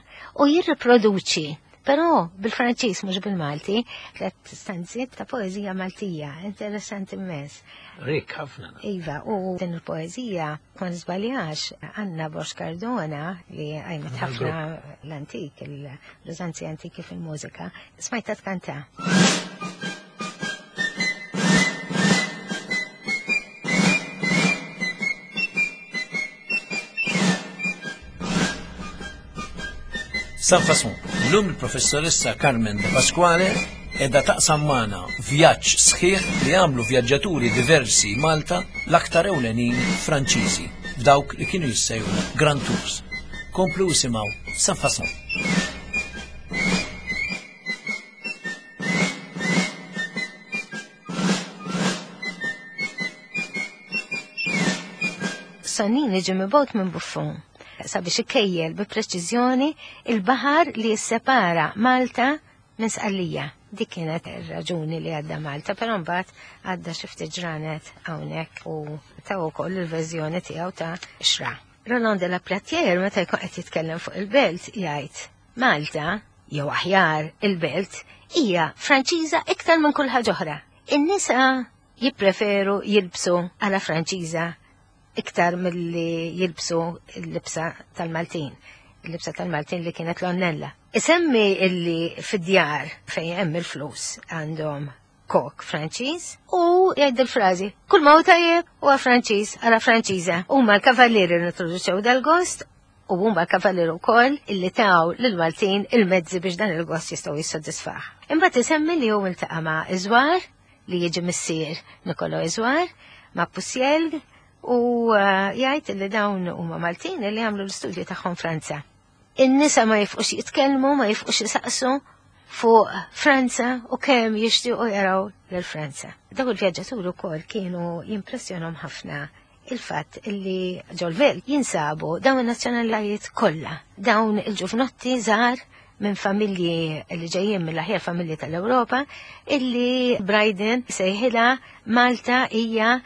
U jirriproduċi, però bil-Franċiż mhux bil-Malti, tliet stanzi ta' poeżija Maltija, interessanti immens. Rik ħafna. Iva, u din il-poeżija ma nżbaljax Anna Bosch Cardona li għajmet ħafna l-antik, l-użanzi antiki fil-mużika, smajta tkanta. Sans Façon, l-lum il-professoressa Carmen De Pasquale edha taqsam magħna vjaġġ sħiħ li għamlu vjaġġaturi diversi Malta, l-aktar ewlenin Franċiżi, f'dawk li kienu jissejħu Grand Tours. Komplu isimgħu Sans Façon. Sonnini ġie mibgħut minn Buffon sabiex ikejjel bi preċiżjoni il-baħar li jissepara Malta minn Sqallija. Dik kienet ir-raġuni li għadda Malta, però mbagħad għadda xi ftit ġranet hawnhekk u taw ukoll il-verżjoni tiegħu ta' xra. Roland de la Platière meta jkun qed jitkellem fuq il-belt jgħid Malta, jew aħjar il-belt, hija Franċiża iktar minn kull ħaġa oħra. In-nisa jippreferu jilbsu għala Franċiża iktar milli jilbsu l-libsa tal-Maltin, il-libsa tal-Maltin li kienet l-onnella. Isemmi illi fid-djar fejn hemm il-flus għandhom kok Franċiż u jgħid il-frażi kull ma hu tajjeb huwa Franċiż għala Franċiża. Huma l-kavallieri li introduċew dal-gost u huma l-kavallieri wkoll illi taw lill-Maltin il-mezzi biex dan il-gost jistgħu jissodisfah. Imbagħad isemmi li hu iltaqa' ma' Iżwar li jiġi missier Niccolo Iżwar, ma' Pusielg, u jgħid li dawn huma Maltin li għamlu l-istudju tagħhom Franza. In-nisa ma jifqux jitkellmu, ma jifqux jisaqsu fuq Franza u kemm jixtiequ jaraw lil Franza. Dawn il-vjaġġaturi wkoll kienu jimpressjonhom ħafna il-fatt illi ġol-belt jinsabu dawn in-nazzjonalitajiet kollha, dawn il-ġuvnotti żgħar minn familji li ġejjin mill-aħjar familji tal-Ewropa, illi Brydon sejħilha Malta hija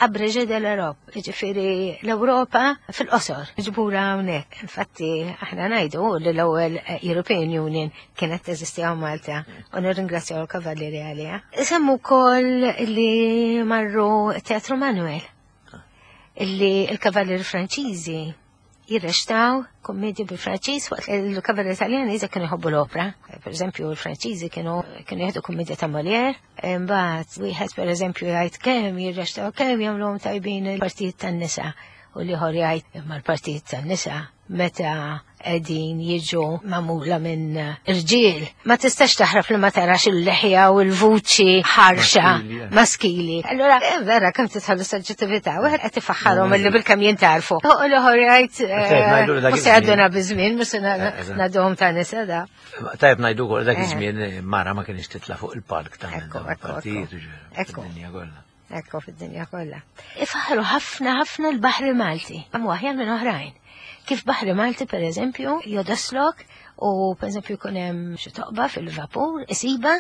abrégé de l'Europe, ġifieri l-Ewropa fil-qosor, ġbura hawnhekk. Infatti aħna ngħidu li l-ewwel European Union kienet teżisti hawn Malta u nirringrazzjaw l-Kavallieri għaliha. Semmu wkoll li marru Teatru Manuel, illi l-Kavallieri Franċiżi jirrextaw kommedji bil-Franċiż waqt il-Kavallieri Italjani iżda kienu jħobbu l-opra. Per eżempju, il-Franċiżi kienu kienu jieħdu kommedja ta' Molière, imbagħad wieħed per eżempju jgħid kemm jirrextaw, kemm jagħmluhom tajbin il-partijiet tan-nisa, u l-ieħor jgħid imma l-partijiet tan-nisa meta qegħdin jiġu magħmula minn irġiel. Ma tistax taħrab li ma tarax il-leħja u l-vuċi ħarxa maskili. Allura eh, vera kemm tidħol is-soġġettività, wieħed qed ifaħħarhom illi bil-kemm jintarfu. U l-oħor jgħid mhux se jgħadduna biż-żmien, mhux se ngħadduhom ta' nisa da. Tajjeb ngħidu wkoll dak iż-żmien mara ma kienx titla' fuq il-palk ta' partijiet Ekku. Ekku fid-dinja kollha. Ifaħħru ħafna ħafna l-Baħri Malti, hemm aħjar minn oħrajn. Kif Baħri Malti per eżempju jodoslok u per eżempju jkun hemm xi toqba fil-vapur, isiba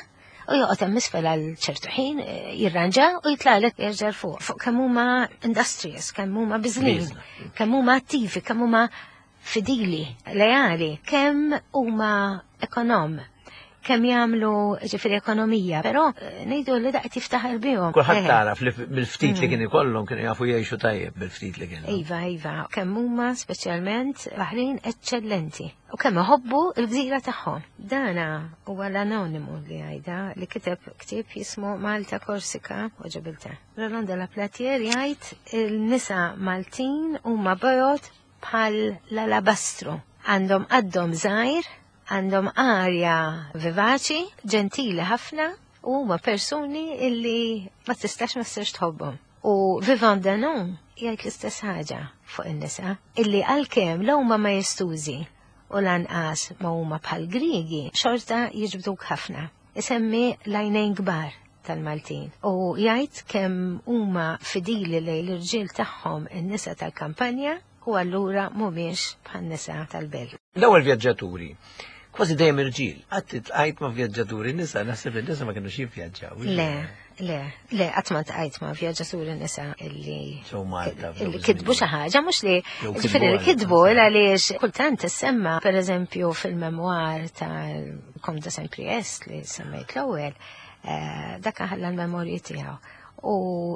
u joqgħod hemm isfel għal ċertu ħin jirranġa u jitlaqlek jerġa' fuq. Fuq kemm huma industrious, kemm huma biżlin, kemm huma attivi, kemm huma fidili, leali, kemm huma ekonom, kemm jagħmlu ġifieri ekonomija, però ngħidu li daqt jiftaħar bihom. Kulħadd tagħraf li mill-ftit li kien ikollhom kienu jafu jgħixu tajjeb bil-ftit li kienu. Iva, iva, kemm huma speċjalment baħrin eċċellenti u kemm iħobbu l-gżira tagħhom. Dana huwa l-anonimu li għajda li kiteb ktieb jismu Malta Korsika u Ġibilta. Roland de la Platier jgħid il-nisa Maltin huma bojod bħal l-alabastru. Għandhom għaddhom żgħir, għandhom arja vivaċi, ġentili ħafna, u huma persuni illi ma tistax ma tistax tħobbhom. U Vivant Denon jgħid l-istess ħaġa fuq in-nisa, illi għalkemm l huma ma jistużi u lanqas ma huma bħal Griegi, xorta jiġbduk ħafna. Isemmi l-għajnejn kbar tal-Maltin. U jgħid kemm huma fidili lejn l-irġiel tagħhom in-nisa tal-kampanja u allura mhumiex bħan-nisa tal-belt. L-ewwel vjaġġaturi kważi dejjem irġiel. Qatt tqajt ma' vjaġġaturi nisa, naħseb li nisa ma kinux jivvjaġġaw. Le, le, le, qatt ma tqajt ma' vjaġġaturi nisa illi illi kitbu xi ħaġa, mhux li ġifieri li kitbu għaliex kultant issemma pereżempju fil-memwar tal-Comte de Saint-Priest li semmejt l-ewwel, dak ħalla l-memorji tiegħu. U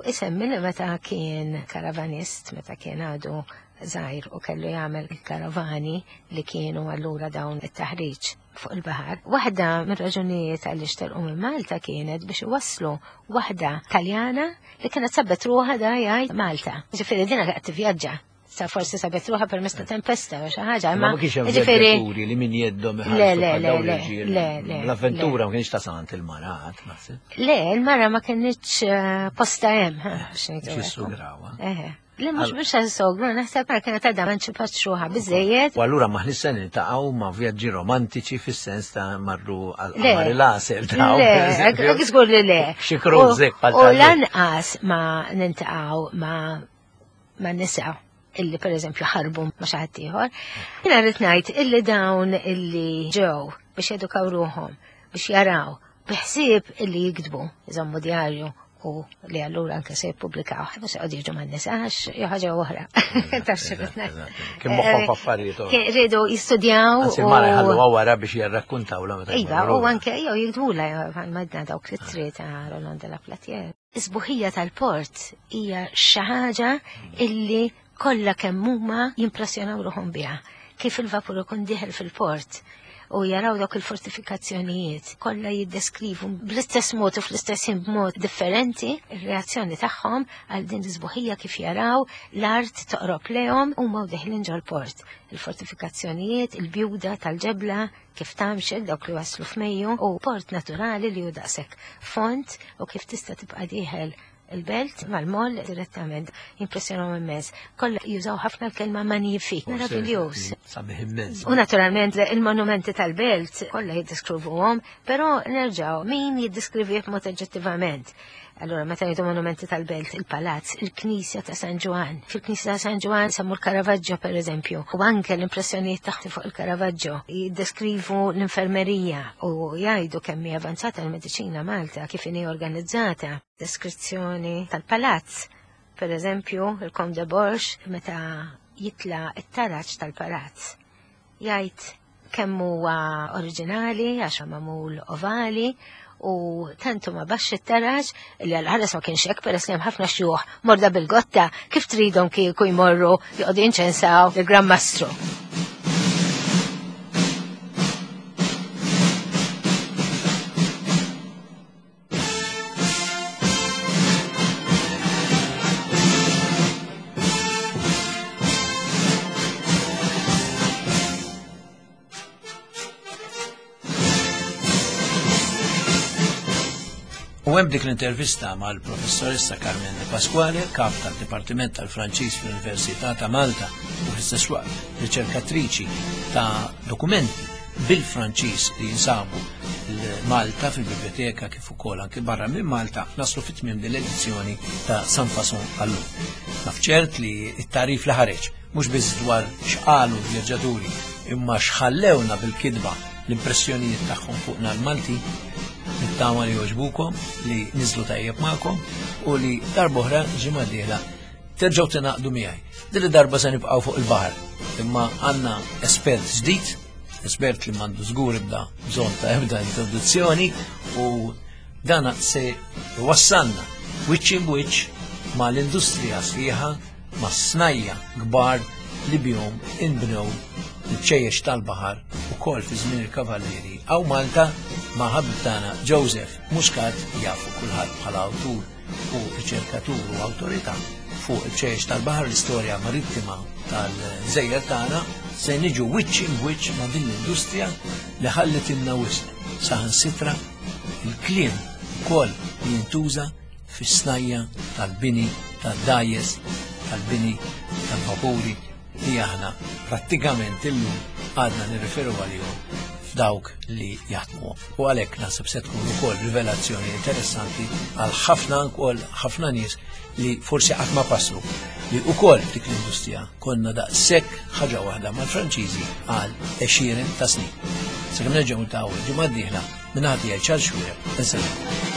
isemmi li meta kien karavanist, meta kien għadu żgħir u kellu jagħmel il-karavani li kienu allura dawn it-taħriġ fuq il-baħar. Waħda mir-raġunijiet għaliex telqu minn Malta kienet biex iwasslu waħda Taljana li kienet sabet ruħha da jgħid Malta. Ġifieri din qed tivvjaġġa. Sa forsi sabet ruħha permezz ta' tempesta u xi ħaġa, imma ma kienx hemm vjaġġaturi li min jeddhom iħallsu bħal dawn l-irġiel. L-avventura ma kienx ta' sant il-mara qatt naħseb. Le, il-mara ma kinitx posta hemm, biex ngħidu. Xi Eħe. Li mhux biex għal-sogru, naħseb mara kienet għadha ma nċipax ruħha biżejjed. U allura maħniex se niltaqgħu ma' vjaġġi romantiċi fis-sens ta' marru għal-qamar il-għasel. Le, hekk żgur li le. Xi cruise hekk bħal. U lanqas ma niltaqgħu ma' nisa illi per eżempju ħarbu ma' xi ħadd ieħor. Jiena rrid ngħid illi dawn illi ġew biex jedukaw ruħhom, biex jaraw, biħsieb illi jiktbu, iżommu djarju u li allura anke se jippubblikaw, mhux se jqogħdu jiġu man-nisa għax jew ħaġa oħra. Kien moħħhom f'affarijiet oħra. Riedu jistudjaw. Anzi mara jħalluha wara biex jirrakkuntawla meta. Iva, u anke jew jiktbula madna dawk l-ittri ta' Roland de la Platier. Is-sbuħija tal-port hija xi ħaġa illi kollha kemm huma jimpressjonaw ruħhom biha. Kif il-vapur ikun dieħel fil-port u jaraw dawk il-fortifikazzjonijiet, kollha jiddeskrivu bl-istess mod u fl-istess ħin b'mod differenti ir-reazzjoni tagħhom għal din l-isbuħija kif jaraw l-art toqrob lehom huma u deħlin ġol-port. Il-fortifikazzjonijiet, il-bjuda tal-ġebla kif tamxel dawk li waslu f'Mejju u port naturali li hu daqshekk font u kif tista' tibqa' dieħel il-belt mal-moll direttament impressjonaw immens. Kollha jużaw ħafna l-kelma magnifique, meravigliuż. Sabiħ immens. U naturalment il-monumenti tal-belt kollha jiddeskrivuhom, però nerġgħu min jiddeskrivi b'mod oġġettivament. Allora, meta jgħidu monumenti tal-belt, il-palazz, il-Knisja ta' San Ġwann. Fil-Knisja ta' San Ġwann semmu l-Caravaggio per eżempju, u anke l-impressjonijiet taħt fuq il-Caravaggio. Jiddeskrivu l-infermerija u jgħidu kemm hi avanzata l-mediċina Malta, kif inhi organizzata. Deskrizzjoni tal-palazz, per eżempju, il-Comte de Borges, meta jitla it-taraġ tal-palazz, jgħid kemm huwa oriġinali għax magħmul ovali, u tantu ma baxx it-taraġ li għal-ħares ma kienx hekk peress li hemm ħafna xjuħ morda bil-gotta kif tridhom kieku jmorru joqogħdu jinċensaw il-Gran Mastru. U hemm dik l-intervista mal-professoressa Carmen De Pasquale, kap tad-Dipartiment tal-Franċiż fl-Università ta' Malta u fl-istess waqt riċerkatriċi ta' dokumenti bil-Franċiż li jinsabu Malta fil-biblioteka kif ukoll anke barra minn Malta, naslu fit-tmiem din l-edizzjoni ta' Sans Façon għallum. Naf ċert li t-tarif li ħareġ mhux biss dwar x'qalu l-vjaġġaturi imma x'ħallewna bil-kitba l-impressjonijiet tagħhom fuqna l-Malti, nittama li jogħġbukom, li niżlu tajjeb magħkom u li darb'oħra ġimgħa dieħla terġgħu tingħaqdu miegħi. Din darba se nibqgħu fuq il-baħar, imma għandna espert ġdid, espert li m'għandu żgur ebda bżonn ta' ebda introduzzjoni, u dana se wassalna wiċċ in wiċċ ma' l-industrija sħiħa, ma' snajja kbar li bihom inbnew il-bċejjeċ tal-baħar ukoll fi żmien il-Kavallieri. Hawn Malta ma' ħabib tagħna Joseph Muscat, jafu kulħadd bħala awtur u riċerkatur u awtorità fuq il-bċejjeċ tal-baħar, l-istorja marittima tal-żejjer tagħna, se niġu wiċċ in wiċċ ma' din l-industrija li ħallet ilna wisq, saħansitra il-kliem ukoll li jintuża fis-snajja tal-bini tad-dgħajjes, tal-bini tal-vapuri li aħna prattikament illum għadna nirriferu għalihom f'dawk li jaħdmu. U għalhekk naħseb se tkun ukoll rivelazzjoni interessanti għal ħafna wkoll ħafna nies li forsi qatt ma passu li wkoll f'dik l-industrija konna daqshekk ħaġa waħda mal-Franċiżi għal għexieren ta' snin. Sakemm nerġgħu niltaqgħu ġimgħa d-dieħla, minn ħadd jgħid Charles Xuereb, insellem.